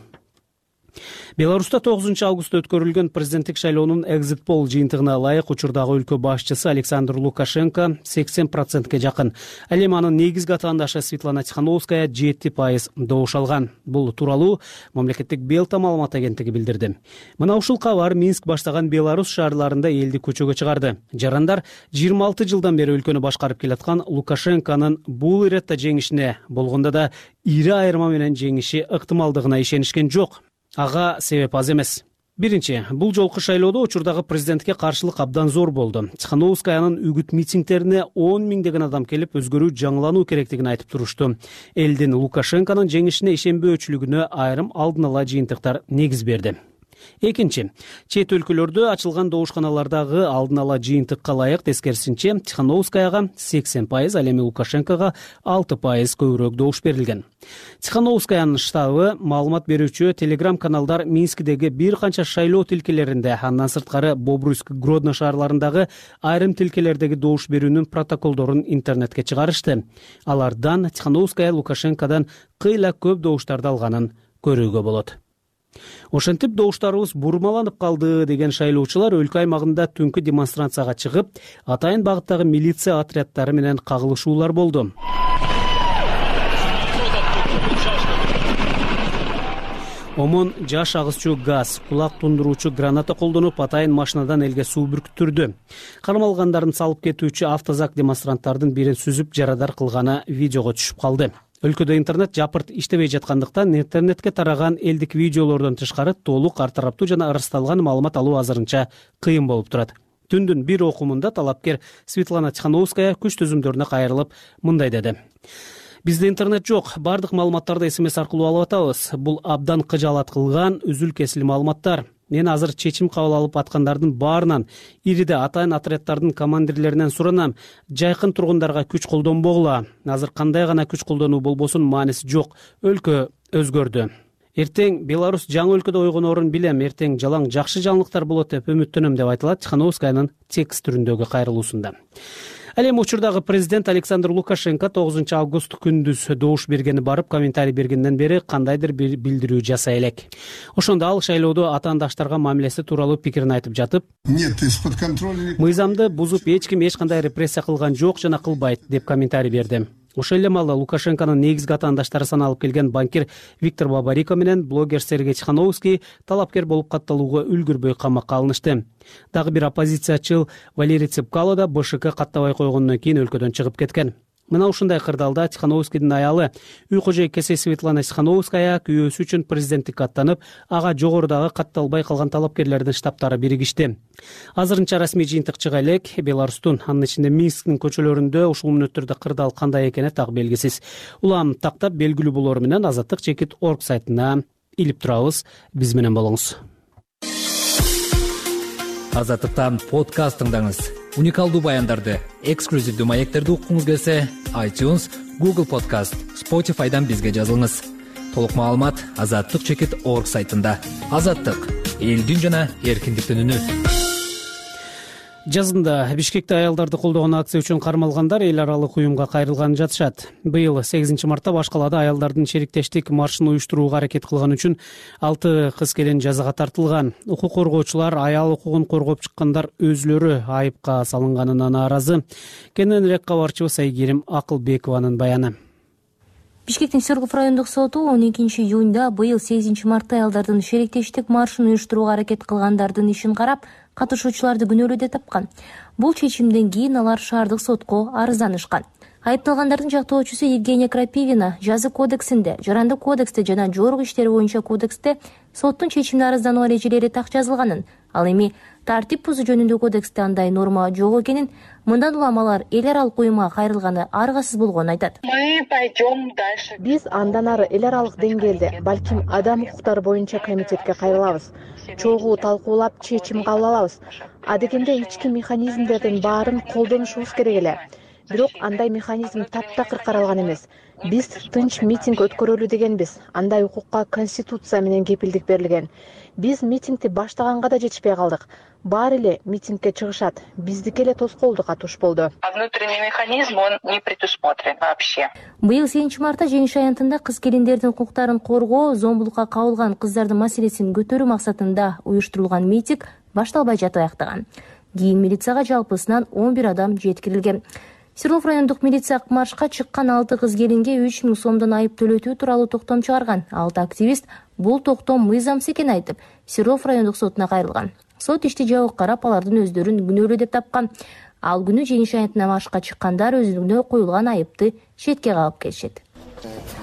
Беларуста тогузунчу августта өткөрүлгөн президенттик шайлоонун экзит пол жыйынтыгына ылайык учурдагы өлкө башчысы Александр Лукашенко сексен процентке жакын. Ал эми анын негизги атаандашы Светлана Тихановская жети пайыз добуш алган. Бул тууралуу мамлекеттик Белта маалымат агенттиги билдирди. Мына ушул кабар Минск баштаган Беларусь шаарларында элди көчөгө чыгарды. Жарандар жыйырма алты жылдан бери өлкөнү башкарып келаткан Лукашенконун бул иретте жеңишине, болгондо да ири айырма менен жеңиши ыктымалдыгына ишенишкен жок. Ага себеп аз эмес. Биринчи, бул жолку шайлоодо учурдагы президентке каршылык абдан зор болду. Тихановскаянын үгүт митингдерине он миңдеген адам келип, өзгөрүү жаңылануу керектигин айтып турушту. Элдин Лукашенконун жеңишине ишенбөөчүлүгүнө айрым алдын ала жыйынтыктар негиз берди. Экинчи, чет өлкөлөрдө ачылган добушканалардагы алдын ала жыйынтыкка ылайык тескерисинче Тихановскаяга сексен пайыз, ал эми Лукашенкого алты пайыз көбүрөөк добуш берилген. Тихановскаянын штабы маалымат берүүчү Telegram каналдар Минскдеги бир канча шайлоо тилкелеринде, андан сырткары Бобруйск, Гродно шаарларындагы айрым тилкелердеги добуш берүүнүн протоколдорун интернетке чыгарышты. Алардан Тихановская Лукашенкодон кыйла көп добуштарды алганын көрүүгө болот. Ошентип добуштарыбыз бурмаланып калды деген шайлоочулар өлкө аймагында түнкү демонстрацияга чыгып, атайын багыттагы милиция отряддары менен кагылышуулар болду. Омон жаш агызчу газ, кулак тундуруучу граната колдонуп, атайын машинадан элге суу бүркүттүрдү. Кармалгандарын салып кетүүчү автозак демонстранттардын бирин сүзүп жарадар кылганы видеого түшүп калды. Өлкөдө интернет жапырт иштебей жаткандыктан интернетке тараган элдик видеолордон тышкары толук ар тараптуу жана ырасталган маалымат алуу азырынча кыйын болуп турат. Түндүн бир окумунда талапкер Светлана Тихановская күч түзүмдөрүнө кайрылып мындай деди: Бизде интернет жок, бардык маалыматтарды эс эм эс аркылуу алып атабыз. Бул абдан кыжаалат кылган үзүл-кесил маалыматтар. Мен азыр чечим кабыл алып аткандардын баарынан, ириде атайын отряддардын командирлеринен суранам. Жайкын тургундарга күч колдонбогула. Азыр кандай гана күч колдонуу болбосун мааниси жок. Өлкө өзгөрдү. Эртең Беларусь жаңы өлкөдө ойгонорун билем. Эртең жалаң жакшы жаңылыктар болот деп үмүттөнөм деп айтылат Тихановскаянын текст түрүндөгү кайрылуусунда. Ал эми учурдагы президент Александр Лукашенко тогузунчу август күндүз добуш бергени барып комментарий бергенден бери кандайдыр бир билдирүү жасай элек. Ошондо ал шайлоодо атаандаштарга мамилеси тууралуу пикирин айтып жатып, Нет, из-под контроля. Мыйзамды бузуп эч ким эч кандай репрессия кылган жок жана кылбайт деп комментарий берди. Ошол эле маалда Лукашенконун негизги атаандаштары саналып келген банкир Виктор Бабарико менен блогер Сергей Тихановский талапкер болуп катталууга үлгүрбөй камакка алынышты. Дагы бир оппозициячыл Валерий Цепкало да БШК каттабай койгондон кийин өлкөдөн чыгып кеткен. Мына ушундай кырдаалда Тихановскийдин аялы үй кожойкеси Светлана Тихановская күйөөсү үчүн президенттикке аттанып, ага жогорудагы катталбай калган талапкерлердин штабтары биригишти. Азырынча расмий жыйынтык чыга элек. Беларустун, анын ичинде Минсктин көчөлөрүндө ушул мүнөттөрдө кырдаал кандай экени так белгисиз. Улам тактап белгилүү болору менен азаттык чекит точка орг сайтына илип турабыз. Биз менен болуңуз. Азаттыктан подкаст тыңдаңыз. Уникалдуу баяндарды, эксклюзивдүү маектерди уккуңуз келсе, iTunes, Google Podcast, Spotify'дан бизге жазылыңыз. Толук маалымат азаттык чекит точка орг сайтында. Азаттык — элдин жана эркиндиктин үнү. Жазында Бишкекте аялдарды колдогон акция үчүн кармалгандар эл аралык уюмга кайрылганы жатышат. Быйыл сегизинчи мартта баш калаада аялдардын шериктештик маршын уюштурууга аракет кылган үчүн алты кыз келин жазага тартылган. Укук коргоочулар аял укугун коргоп чыккандар өзүлөрү айыпка салынганына нааразы. Кененирээк кабарчыбыз Айгерим Акылбекованын баяны. Бишкектин Сергов райондук соту он экинчи июнда быйыл сегизинчи мартта аялдардын шериктештик маршын уюштурууга аракет кылгандардын ишин карап, катышуучуларды күнөөлүү деп тапкан. Бул чечимден кийин алар шаардык сотко арызданышкан. Айыпталгандардын жактоочусу Евгения Крапивина жаза кодексинде, жарандык кодексте жана жогорку иштер боюнча кодексте соттун чечимине арыздануу эрежелери так жазылганын, ал эми тартип бузуу жөнүндө кодексте андай норма жок экенин, мындан улам алар эл аралык уюмга кайрылганы аргасыз болгонун айтат. Биз андан ары эл аралык деңгээлде, балким адам укуктары боюнча комитетке кайрылабыз. Чогуу талкуулап чечим кабыл алабыз. Адегенде ички механизмдердин баарын колдонушубуз керек эле. Бирок андай механизм таптакыр каралган эмес. Биз тынч митинг өткөрөлү дегенбиз. Андай укукка конституция менен кепилдик берилген. Биз митингди баштаганга да жетишпей калдык. Баары эле митингке чыгышат. Биздики эле тоскоолдук атыш болду. Внутренний механизм он не предусмотрен вообще. Быйыл сегизинчи мартта жеңиш аянтында кыз келиндердин укуктарын коргоо, зомбулукка кабылган кыздардын маселесин көтөрүү максатында уюштурулган митинг башталбай жатып аяктаган. Кийин милицияга жалпысынан он бир адам жеткирилген. Серлов райондук милиция маршка чыккан алты кыз келинге үч миң сомдон айып төлөтүү тууралуу токтом чыгарган. Алты активист бул токтом мыйзамсыз экенин айтып, Серлов райондук сотуна кайрылган. Сот ишти жабык карап, алардын өздөрүн күнөөлүү деп тапкан. Ал күнү жеңиш аянтына маршка чыккандар өзүнө коюлган айыпты четке кагып келишет.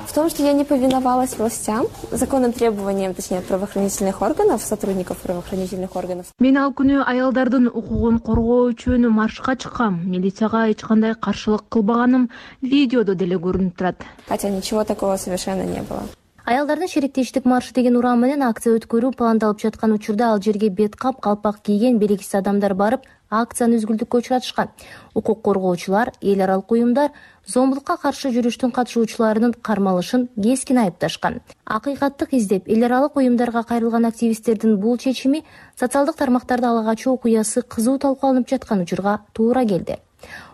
В том, что я не повиновалась властям, законным требованиям, точнее, правоохранительных органов, сотрудников правоохранительных органов. Мен ал күнү аялдардын укугун коргоо үчүн маршка чыккам. Милицияга эч кандай каршылык кылбаганым видеодо деле көрүнүп турат. Хотя ничего такого совершенно не было. Аялдардын шериктештик маршы деген урам менен акция өткөрүү пландалып жаткан учурда ал жерге бет кап, калпак кийген белгисиз адамдар барып, акцияны үзгүлтүккө учуратышкан. Укук коргоочулар, эл аралык уюмдар зомбулукка каршы жүрүштүн катышуучуларынын кармалышын кескин айыпташкан. Акыйкаттык издеп, эл аралык уюмдарга кайрылган активисттердин бул чечими социалдык тармактарда ала качуу окуясы кызуу талкууланып жаткан учурга туура келди.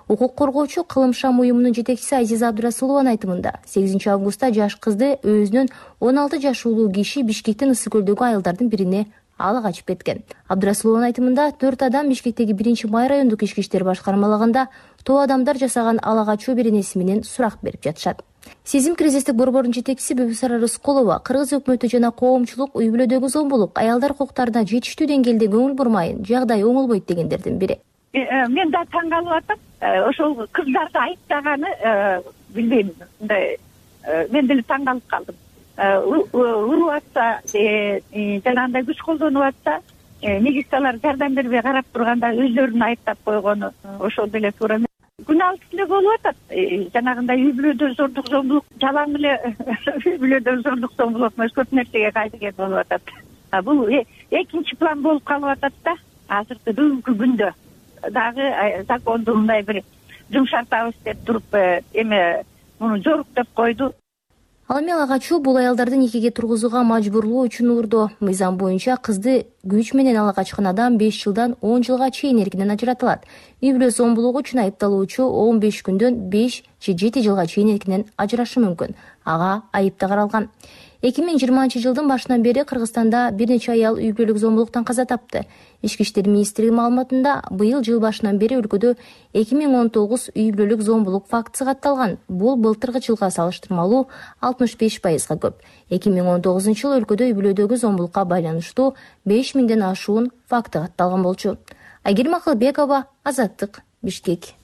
Укук коргоочу Кылым Шам уюмунун жетекчиси Азиза Абдурасулованын айтымында, сегизинчи августта жаш кызды өзүнүн он алты жашуулуу киши Бишкектин Ысык көлдөгү айылдардын бирине ала качып кеткен. Абдурасулованын айтымында, төрт адам Бишкектеги биринчи май райондук ички иштер башкармалыгында тоо адамдар жасаган ала качуу беренеси менен сурак берип жатышат. Сезим кризистик борбордун жетекчиси Бибисара Рыскулова кыргыз өкмөтү жана коомчулук үй бүлөдөгү зомбулук, аялдар укуктарына жетиштүү деңгээлде көңүл бурмайын, жагдай оңолбойт дегендердин бири. Мен да таң калып атам. Ошол кыздарды айыптаганы билбейм. Мындай мен деле таң калып калдым. Уруп атса, жанагындай күч колдонуп атса, милициялар жардам бербей карап турганда өздөрүн айыптап койгону ошол деле туура эмес. Күн алыс эле болуп атат. Жанагындай үй бүлөдө зордук зомбулук, жалаң эле үй бүлөдө зордук зомбулук эмес, көп нерсеге кайдыген болуп атат. бул экинчи план болуп калып атат да. Азыркы бүгүнкү күндө дагы законду мындай бир жумшартабыз деп туруп эме муну жоруктап койду. Ал эми ага качуу бул аялдарды никеге тургузууга мажбурлоо үчүн урду. Мыйзам боюнча кызды күч менен ала качкан адам беш жылдан он жылга чейин эркинен ажыратылат. Үй бүлө зомбулугу үчүн айыпталуучу он беш күндөн беш же жети жылга чейин эркинен ажырашы мүмкүн. Ага айып да каралган. эки миң жыйырманчы жылдын башынан бери Кыргызстанда бир нече аял үй бүлөлүк зомбулуктан каза тапты. Ички иштер министрлиги маалыматында быйыл жыл башынан бери өлкөдө эки миң он тогуз үй бүлөлүк зомбулук фактысы катталган. Бул былтыркы жылга салыштырмалуу алтымыш беш пайызга көп. эки миң он тогузунчу жылы өлкөдө үй бүлөдөгү зомбулукка байланыштуу беш миңден ашуун факты катталган болчу. Айгерим Акылбекова, Азаттык, Бишкек.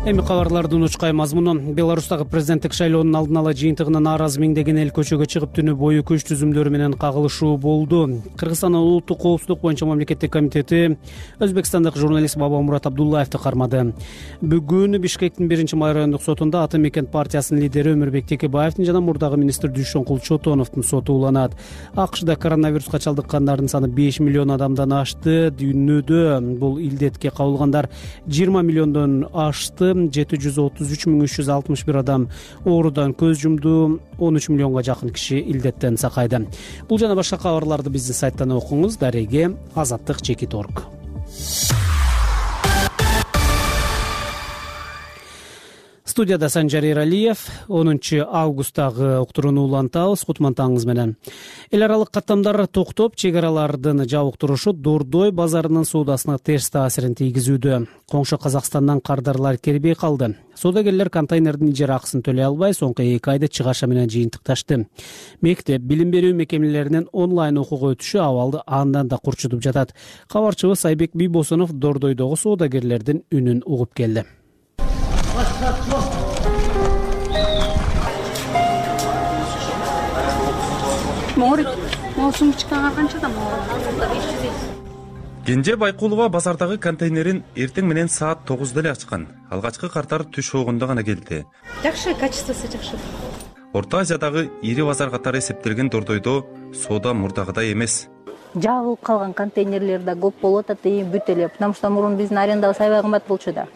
Эми кабарлардын учкай мазмуну. Беларустагы президенттик шайлоонун алдын ала жыйынтыгына нааразы миңдеген эл көчөгө чыгып түнү бою күч түзүмдөрү менен кагылышуу болду. Кыргызстандын улуттук коопсуздук боюнча мамлекеттик комитети өзбекстандык журналист Бабамурат Абдуллаевди кармады. Бүгүн Бишкектин биринчи май райондук сотунда Ата Мекен партиясынын лидери Өмүрбек Текебаевдин жана мурдагы министр Дүйшөнкул Чотоновдун соту уланат. АКШда коронавируска чалдыккандардын саны беш миллион адамдан ашты. Дүйнөдө бул илдетке кабылгандар жыйырма миллиондон ашты. жети жүз отуз үч миң үч жүз алтымыш бир адам оорудан көз жумду. он үч миллионго жакын киши илдеттен сакайды. Бул жана башка кабарларды биздин сайттан окуңуз. Дареге Азаттык чекит орг. Студияда Санжар Эралиев. онунчу августтагы уктурууну улантабыз. Кутмантаңыз менен. Эл аралык каттамдар токтоп, чек аралардын жабыктырушу Дордой базарынын соодасына терс таасирин тийгизүүдө. Коңшу Казакстандан кардарлар келбей калды. Соодагерлер контейнердин ижара акысын төлөй албай, соңку эки айда чыгаша менен жыйынтыкташты. Мектеп, билим берүү мекемелеринин онлайн окууга өтүшү абалды андан да курчутуп жатат. Кабарчыбыз Айбек Бийбосонов Дордойдогу соодагерлердин үнүн угуп келди. Кенже Байкулова базардагы контейнерин эртең менен саат тогузда эле ачкан. Алгачкы картар түш огунда гана келди. Жакшы, качествосу жакшы. Орто Азиядагы ири базар катары эсептелген Дордойдо соода мурдагыдай эмес. Жабылып калган контейнерлер да көп болуп атат, бүт эле. Потому что мурун биздин арендабыз аябай кымбат болчу да.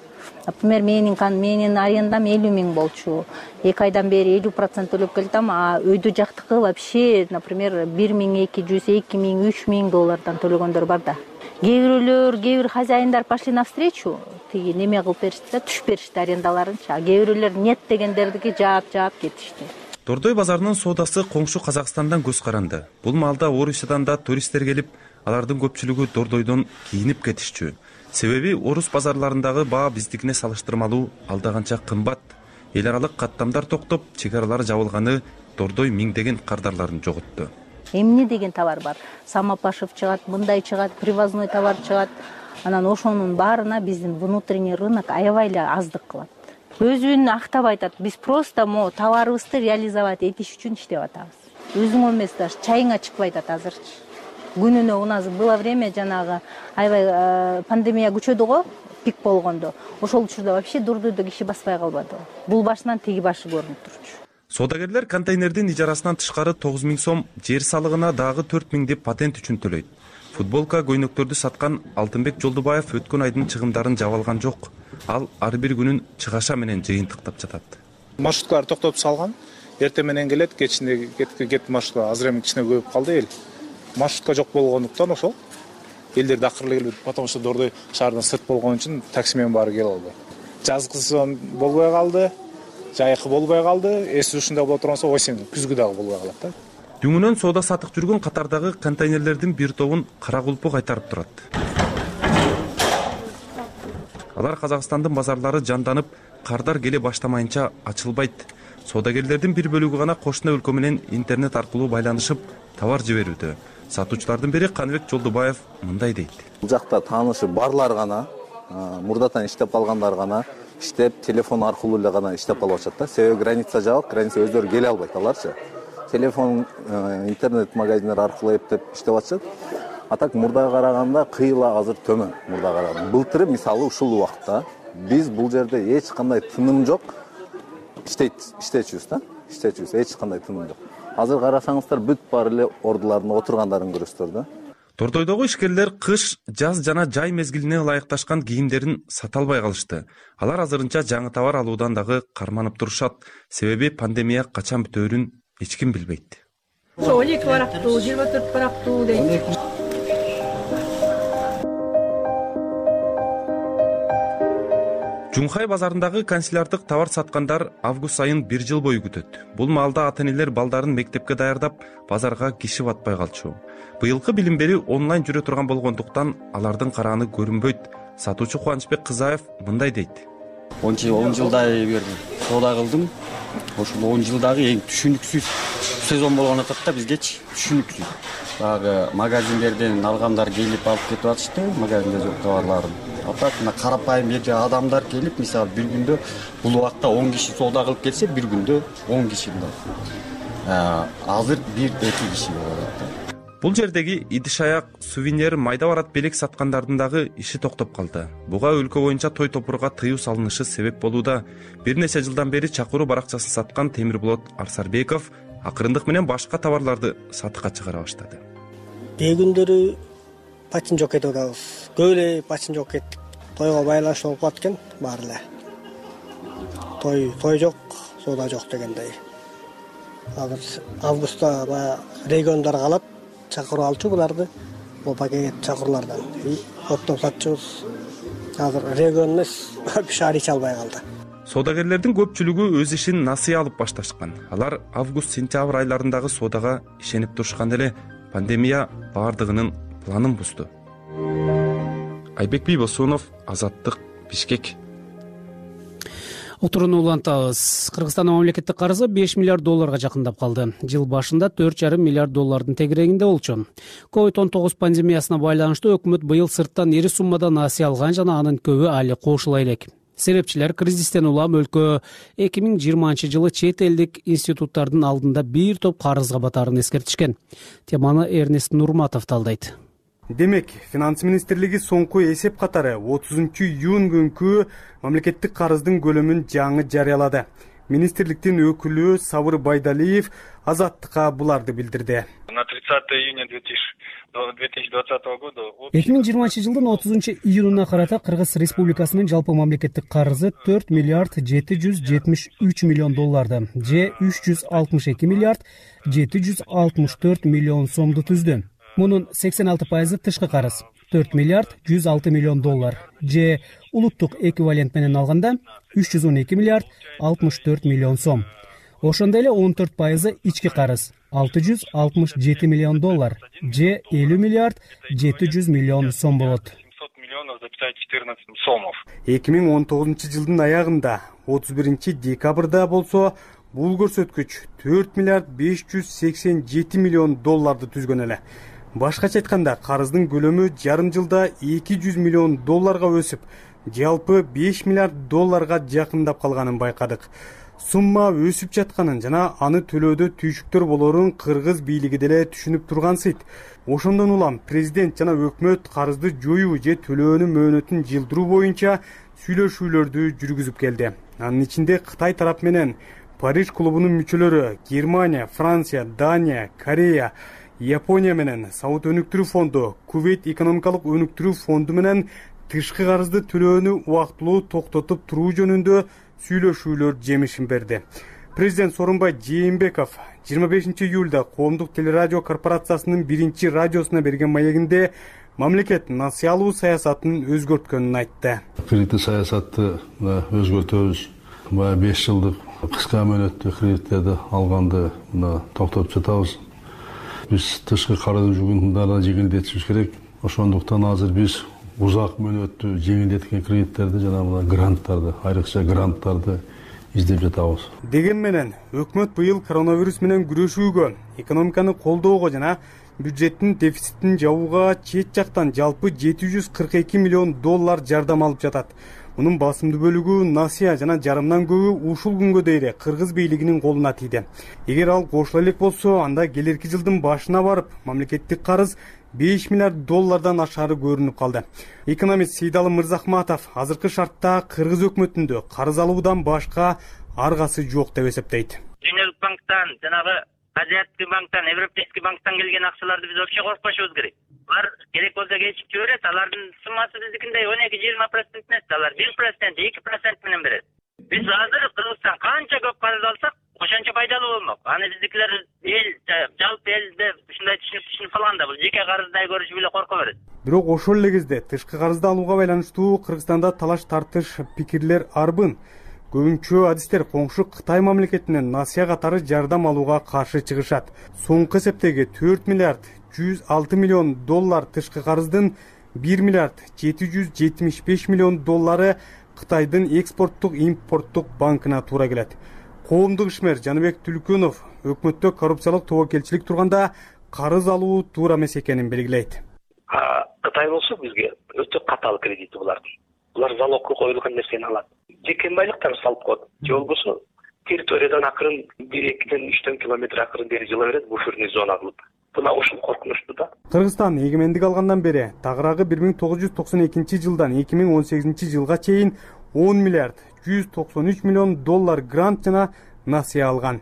Например, менин менин арендам элүү миң болчу. эки айдан бери элүү процент төлөп келдим, а өйдө жактыкы вообще, например, бир миң эки жүз, эки миң, үч миң доллардан төлөгөндөр бар да. Кээ бирөөлөр, кээ бир хозяиндар пошли навстречу, тиги неме кылып беришти да, түшүп беришти арендаларынчы. А кээ бирөөлөр нет дегендердики жаап-жаап кетишти. Дордой базарынын соодасы коңшу Казакстандан көз каранды. Бул маалда Орусиядан да туристтер келип, алардын көпчүлүгү Дордойдон кийинип кетишчү. Себеби орус базарларындагы баа биздикине салыштырмалуу алдаганча кымбат. Эл аралык каттамдар токтоп, чек аралар жабылганы Дордой миңдеген кардарларын жоготту. Эмне деген товар бар? Самопашев чыгат, мындай чыгат, привозной товар чыгат. Анан ошонун баарына биздин внутренний рынок аябай эле аздык кылат. Өзүн актап айтат, биз просто мо товарыбызды реализовать этиш үчүн иштеп атабыз. Өзүңө эмес, даже чайыңа чыкпай атат азырчы. Күнүнө у нас было время жанагы аябай пандемия күчөдү го, пик болгондо. Ошол учурда вообще Дордойдо киши баспай калбады. Бул башынан тиги башы көрүнүп турчу. Соодагерлер контейнердин ижарасынан тышкары тогуз миң сом, жер салыгына дагы төрт миң деп патент үчүн төлөйт. Футболка, көйнөктөрдү саткан Алтынбек Жолдубаев өткөн айдын чыгымдарын жаба алган жок. Ал ар бир күнүн чыгаша менен жыйынтыктап жатат. Маршруткалар токтоп салган. Эртең менен келет, кечинде кетип маршрутка азыр эми кичине көбүп калды эл. Маршрутка жок болгондуктан ошол элдер дакырла келбейт, потому что Дордой шаардан сырт болгон үчүн такси менен баары келе албайт. Жазгы сезон болбой калды, жайкы болбой калды, эс ушундай боло турганса осень күзгү дагы болбой калат да. Дүңүнөн соода сатык жүргөн катардагы контейнерлердин бир тобун кара кулпу кайтарып турат. Алар Казакстандын базарлары жанданып, кардар келе баштамайынча ачылбайт. Соодагерлердин бир бөлүгү гана кошуна өлкө менен интернет аркылуу байланышып, товар жиберүүдө. Сатуучулардын бири Каныбек Жолдубаев мындай дейт. Бул жакта таанышы барлар гана, мурдатан иштеп калгандар гана, иштеп телефон аркылуу эле гана иштеп калып атышат да. Себеби граница жабык, граница өздөрү келе албайт аларчы. Телефон, интернет магазиндер аркылуу эптеп иштеп атышат. А так мурдага караганда кыйла азыр төмөн мурдага караганда. Былтыры мисалы ушул убакта биз бул жерде эч кандай тыным жок иштейт, иштечүбүз да. Иштечүбүз, эч кандай тыным жок. азыр карасаңыздар бүт баары эле ордулардын отургандарын көрөсүздөр да. Тордойдогу ишкерлер кыш, жаз жана жай мезгилине ылайыкташкан кийимдерин сата албай калышты. Алар азырынча жаңы товар алуудан дагы карманып турушат. Себеби пандемия качан бүтөөрүн эч ким билбейт. он эки барактуу, жыйырма төрт барактуу дейт. Жунхай базарындагы канцелярдык товар саткандар август айын бир жыл бою күтөт. Бул маалда ата-энелер балдарын мектепке даярдап, базарга киши батпай калчу. Быйылкы билим берүү онлайн жүрө турган болгондуктан алардын карааны көрүнбөйт. Сатуучу Кубанычбек Кызаев мындай дейт. он жылдай бери соода кылдым. Ошол он жылдагы эң түшүнүксүз сезон болгон атат да бизгечи түшүнүксүз. Дагы магазиндерден алгандар келип алып кетип атышты, магазинде жок товарларын. А так мына карапайым жерде адамдар келип, мисалы бир күндө бул убакта он киши соода кылып келсе, бир күндө он киши мындай. Азыр бир эки киши болот да. Бул жердеги идиш аяк, сувенир, майда барат белек саткандардын дагы иши токтоп калды. Буга өлкө боюнча той топурга тыюу салынышы себеп болууда. Бир нече жылдан бери чакыруу баракчасын саткан Темирболот Арсарбеков акырындык менен башка товарларды сатыкка чыгара баштады. Кээ күндөрү пачин жок кетип атабыз. Көп эле пачин жок кеттик. Тойго байланыштуу болуп калат экен баары эле. Той, той жок, соода жок дегендей. Азыр августта баягы региондар калат. Чакыруу алчу буларды, бул пакет чакыруулардан. Оптоп сатчубуз. Азыр регион эмес, шаар ич албай калды. Соодагерлердин көпчүлүгү өз ишин насыя алып башташкан. Алар август-сентябрь айларындагы соодага ишенип турушкан эле пандемия баардыгынын планын бузду. Айбек Бийбосунов, Азаттык, Бишкек. Отурууну улантабыз. Кыргызстандын мамлекеттик карызы беш миллиард долларга жакындап калды. Жыл башында төрт жарым миллиард доллардын тегерегинде болчу. ковид он тогуз пандемиясына байланыштуу өкмөт быйыл сырттан ири суммада насыя алган жана анын көбү али кошула элек. Себепчилер кризистен улам өлкө эки миң жыйырманчы жылы чет элдик институттардын алдында бир топ карызга батаарын эскертишкен. Теманы Эрнест Нурматов талдайт. Демек, Финанс министрлиги соңку эсеп катары отузунчу июнь күнкү мамлекеттик карыздын көлөмүн жаңы жарыялады. Министрликтин өкүлү Сабыр Байдалиев Азаттыкка буларды билдирди. На тридцатое июня две тысячи двадцатого года эки миң жыйырманчы жылдын отузунчу июнуна карата Кыргыз Республикасынын жалпы мамлекеттик карызы төрт миллиард жети жүз жетимиш үч миллион долларды, же үч жүз алтымыш эки миллиард жети жүз алтымыш төрт миллион сомду түздү. Мунун сексен алты пайызы тышкы карыз, төрт миллиард жүз алты миллион доллар, же улуттук эквивалент менен алганда үч жүз он эки миллиард алтымыш төрт миллион сом. Ошондой эле он төрт пайызы ички карыз, алты жүз алтымыш жети миллион доллар, же элүү миллиард жети жүз миллион сом болот. эки миң он тогузунчу жылдын аягында отуз биринчи декабрда болсо бул көрсөткүч төрт миллиард беш жүз сексен жети миллион долларды түзгөн эле. Башкача айтканда, карыздын көлөмү жарым жылда эки жүз миллион долларга өсүп, жалпы беш миллиард долларга жакындап калганын байкадык. Сумма өсүп жатканын жана аны төлөөдө түйшүктөр болорун кыргыз бийлиги деле түшүнүп тургансыйт. Ошондон улам президент жана өкмөт карызды жоюу же төлөөнүн мөөнөтүн жылдыруу боюнча сүйлөшүүлөрдү жүргүзүп келди. Анын ичинде Кытай тарап менен Париж клубунун мүчөлөрү Германия, Франция, Дания, Корея, Япония менен Сауд өнүктүрүү фонду, Кувейт экономикалык өнүктүрүү фонду менен тышкы карызды төлөөнү убактылуу токтотуп туруу жөнүндө сүйлөшүүлөр жемишин берди. Президент Сооронбай Жээнбеков жыйырма бешинчи июлда Коомдук телерадио корпорациясынын биринчи радиосуна берген маегинде мамлекет насыя алуу саясатын өзгөрткөнүн айтты. Кредиттик саясатты өзгөртөбүз. Бая беш жылдык кыска мөөнөттүү кредиттерди алганды мына токтотуп жатабыз. Биз тышкы карыз жүгүн жеңилдетишибиз керек. Ошондуктан азыр биз узак мөөнөттүү жеңилдеткен кредиттерди жана мына гранттарды, айрыкча гранттарды издеп жатабыз. Деген менен өкмөт быйыл коронавирус менен күрөшүүгө, экономиканы колдоого жана бюджеттин дефицитин жабууга чет жактан жалпы жети жүз кырк эки миллион доллар жардам алып жатат. Мунун басымдуу бөлүгү насыя жана жарымдан көбү ушул күнгө дейре кыргыз бийлигинин колуна тийди. Эгер ал кошула элек болсо, анда келерки жылдын башына барып мамлекеттик карыз беш миллиард доллардан ашары көрүнүп калды. Экономист Сейдалы Мырзахматов азыркы шартта кыргыз өкмөтүндө карыз алуудан башка аргасы жок деп эсептейт. Дүйнөлүк банктан жанагы азиатский банктан, европейский банктан келген акчаларды биз вообще коркпошубуз керек. Алар керек болсо кечип жиберет, алардын суммасы биздикиндей он эки жыйырма процент эмес, алар бир процент, эки процент менен берет. Биз азыр Кыргызстан канча көп карыз алсак, ошончо пайдалуу болмок. Аны биздикилер эл, жалпы элде ушундай түшүнүп түшүнүп калганда, бул жеке карыздай көрүшүп эле корко берет. Бирок ошол эле кезде тышкы карызды алууга байланыштуу Кыргызстанда талаш тартыш, пикирлер арбын. Көбүнчө адистер коңшу Кытай мамлекетинен насыя катары жардам алууга каршы чыгышат. Соңку эсептеги төрт миллиард жүз алты миллион доллар тышкы карыздын бир миллиард жети жүз жетимиш беш миллион доллары Кытайдын экспорттук импорттук банкына туура келет. Коомдук ишмер Жаныбек Түлкөнов өкмөттө коррупциялык тобокелчилик турганда карыз алуу туура эмес экенин белгилейт. Кытай болсо бизге өтө катаал кредити булардын. Булар залогко коюлган нерсени алат. Жеке байлыктан салып коет. Же болбосо территориядан акырын бир экиден үчтөн километр акырын бери жыла берет, буферный зона кылып. Буна ушул коркунучтуу да. Кыргызстан эгемендик алгандан бери тагыраагы бир миң тогуз жүз токсон экинчи жылдан эки миң он сегизинчи жылга чейин он миллиард жүз токсон үч миллион доллар грант жана насыя алган.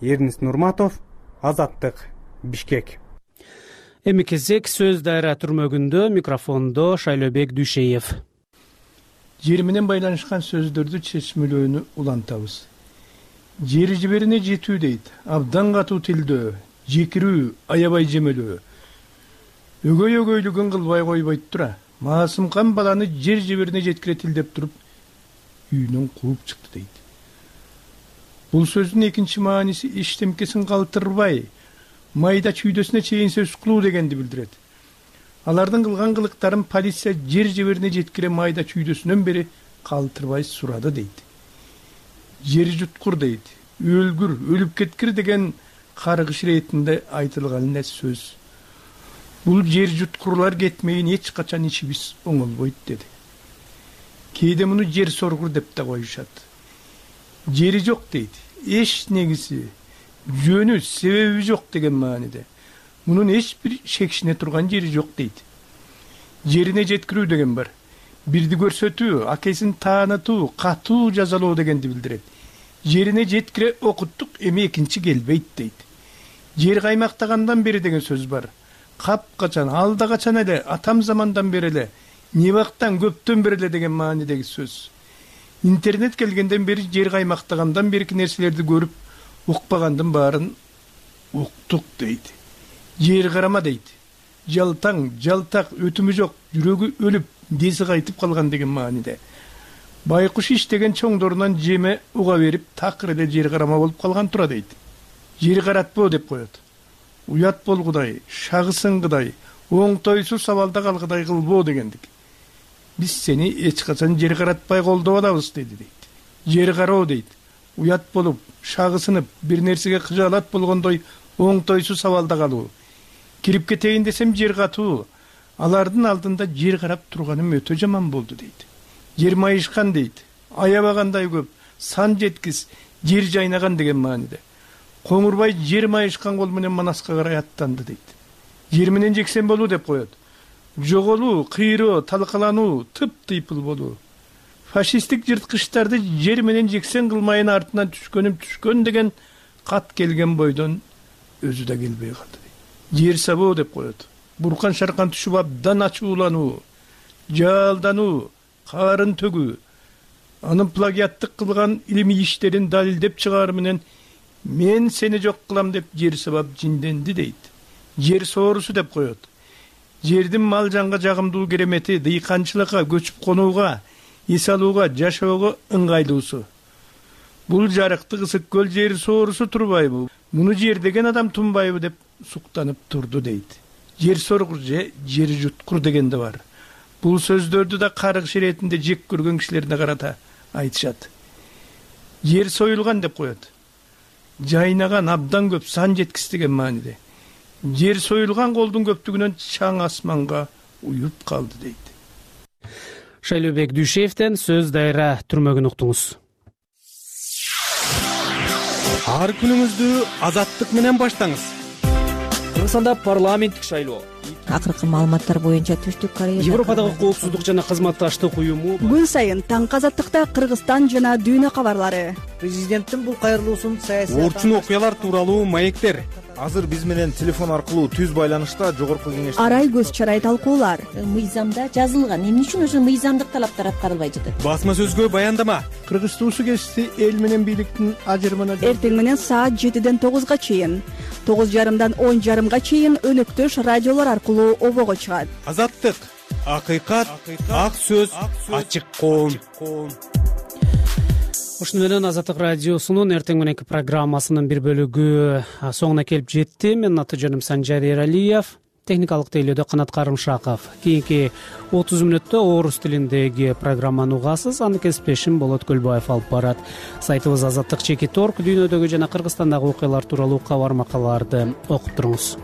Эрнис Нурматов, Азаттык, Бишкек. Эми кезек сөз дайра түрмөгүндө, микрофондо Шайлообек Дүйшеев. Жер менен байланышкан сөздөрдү чечмелөөнү улантабыз. Жер жиберине жетүү дейт. Абдан катуу тилдөө, жекирүү, аябай жемелөө. Өгөй өгөйлүгүн кылбай койбойт тура. Маасымкан баланы жер жиберине жеткире тилдеп туруп, үйүнөн кууп чыкты дейт. Бул сөздүн экинчи мааниси эчтемкесин калтырбай, майда чүйдөсүнө чейин сөз кылуу дегенди билдирет. Алардын кылган кылыктарын полиция жер жиберине жеткире майда чүйдөсүнөн бери калтырбай сурады дейт. Жер жуткур дейт. Өлгүр, өлүп кеткир деген каргыш иретинде айтылган эле сөз. Бул жер жуткурлар кетмейин эч качан ичибиз оңолбойт деди. Кээде муну жер соргур деп да коюшат. Жери жок дейт. Эч негиси, жөнү, себеби жок деген мааниде. Мунун эч бир шекшине турган жери жок дейт. Жерине жеткирүү деген бар. Бирди көрсөтүү, акесин таанытуу, катуу жазалоо дегенди билдирет. Жерине жеткире окуттук, эми экинчи келбейт дейт. Жер каймактагандан бери деген сөз бар. Капкачан, алда качан эле, атам замандан бери эле, небактан көптөн бери эле деген маанидеги сөз. Интернет келгенден бери жер каймактагандан берки нерселерди көрүп, укпагандын баарын уктук дейт. Жер карама дейт. Жалтаң, жалтак, өтүмү жок, жүрөгү өлүп, деси кайтып калган деген мааниде. Байкуш иштеген чоңдорунан жеме уга берип, такыр эле жер карама болуп калган тура дейт. Жер каратпоо деп коет. Уят болгудай, шагысыңгыдай, оңтойсуз сабалда калгыдай кылбоо дегендик. Биз сени эч качан жер каратпай колдоп алабыз деди дейт. Жер кароо дейт. Уят болуп, шагысынып, бир нерсеге кыжаалат болгондой оңтойсуз сабалда калуу. Кирип кетейин десем жер катуу. Алардын алдында жер карап турганым өтө жаман болду дейт. Жер майышкан дейт. Аябагандай көп, сан жеткис, жер жайнаган деген мааниде. Коңурбай жер майышкан кол менен Манаска карай аттанды дейт. Жер менен жексен болуу деп коет. Жоголуу, кыйроо, талкалануу, тып-тыйпыл болуу. Фашисттик жырткычтарды жер менен жексен кылмайын артынан түшкөнүм түшкөн деген кат келген бойдон өзү да келбей калды. Жер сабоо деп коет. Буркан шаркан түшүп абдан ачуулануу, жалдануу, карын төгүү. Анын плагиаттык кылган илимий иштерин далилдеп чыгаар менен мен сени жок кылам деп жер сабап жинденди дейт. Жер соорусу деп коет. Жердин мал жанга жагымдуу керемети, дыйканчылыкка, көчүп конууга, эс алууга, жашоого ыңгайлуусу. Бул жарыктык ысык көл жер соорусу турбайбы? Муну жер деген адам тунбайбы деп суктанып турду дейт. Жер соргур же жер жуткур деген да бар. Бул сөздөрдү да каргыш иретинде жек көргөн кишилерге карата айтышат. Жер союлган деп коет. Жайнаган абдан көп, сан жеткис деген мааниде. Жер союлган колдун көптүгүнөн чаң асманга уюп калды дейт. Шайлообек Дүйшеевден сөз дайра түрмөгүн уктуңуз. Ар күнүңүздү азаттык менен баштаңыз. Кыргызстанда парламенттик шайлоо. Акыркы маалыматтар боюнча Түштүк Корея Европадагы коопсуздук жана кызматташтык уюму күн сайын таң азаттыкта Кыргызстан жана дүйнө кабарлары. Президенттин бул кайрылуусун саясий орчун окуялар тууралуу маектер. Азыр биз менен телефон аркылуу түз байланышта жогорку кеңеш Арай көз чарай талкуулар. Мыйзамда жазылган. Эмне үчүн ошо мыйзамдык талаптар аткарылбай жатат? Басма сөзгө баяндама. Кыргыз туусу кесиси эл менен бийликтин ажырымына Эртең менен саат жетиден тогузга чейин, тогуз жарымдан он жарымга чейин өнөктөш радиолор аркылуу обого чыгат. Азаттык, акыйкат, ак сөз, ачык коом. Ушуну менен Азаттык радиосунун эртең мененки программасынын бир бөлүгү соңуна келип жетти. Менин аты жөнүм Санжар Эралиев, техникалык тейлөөдө Канат Карымшаков. Кийинки отуз мүнөттө орус тилиндеги программаны угасыз. Аны кесиптешим Болот Көлбаев алып барат. Сайтыбыз Азаттык чекит орг дүйнөдөгү жана Кыргызстандагы окуялар тууралуу кабар макалаларды окуп туруңуз.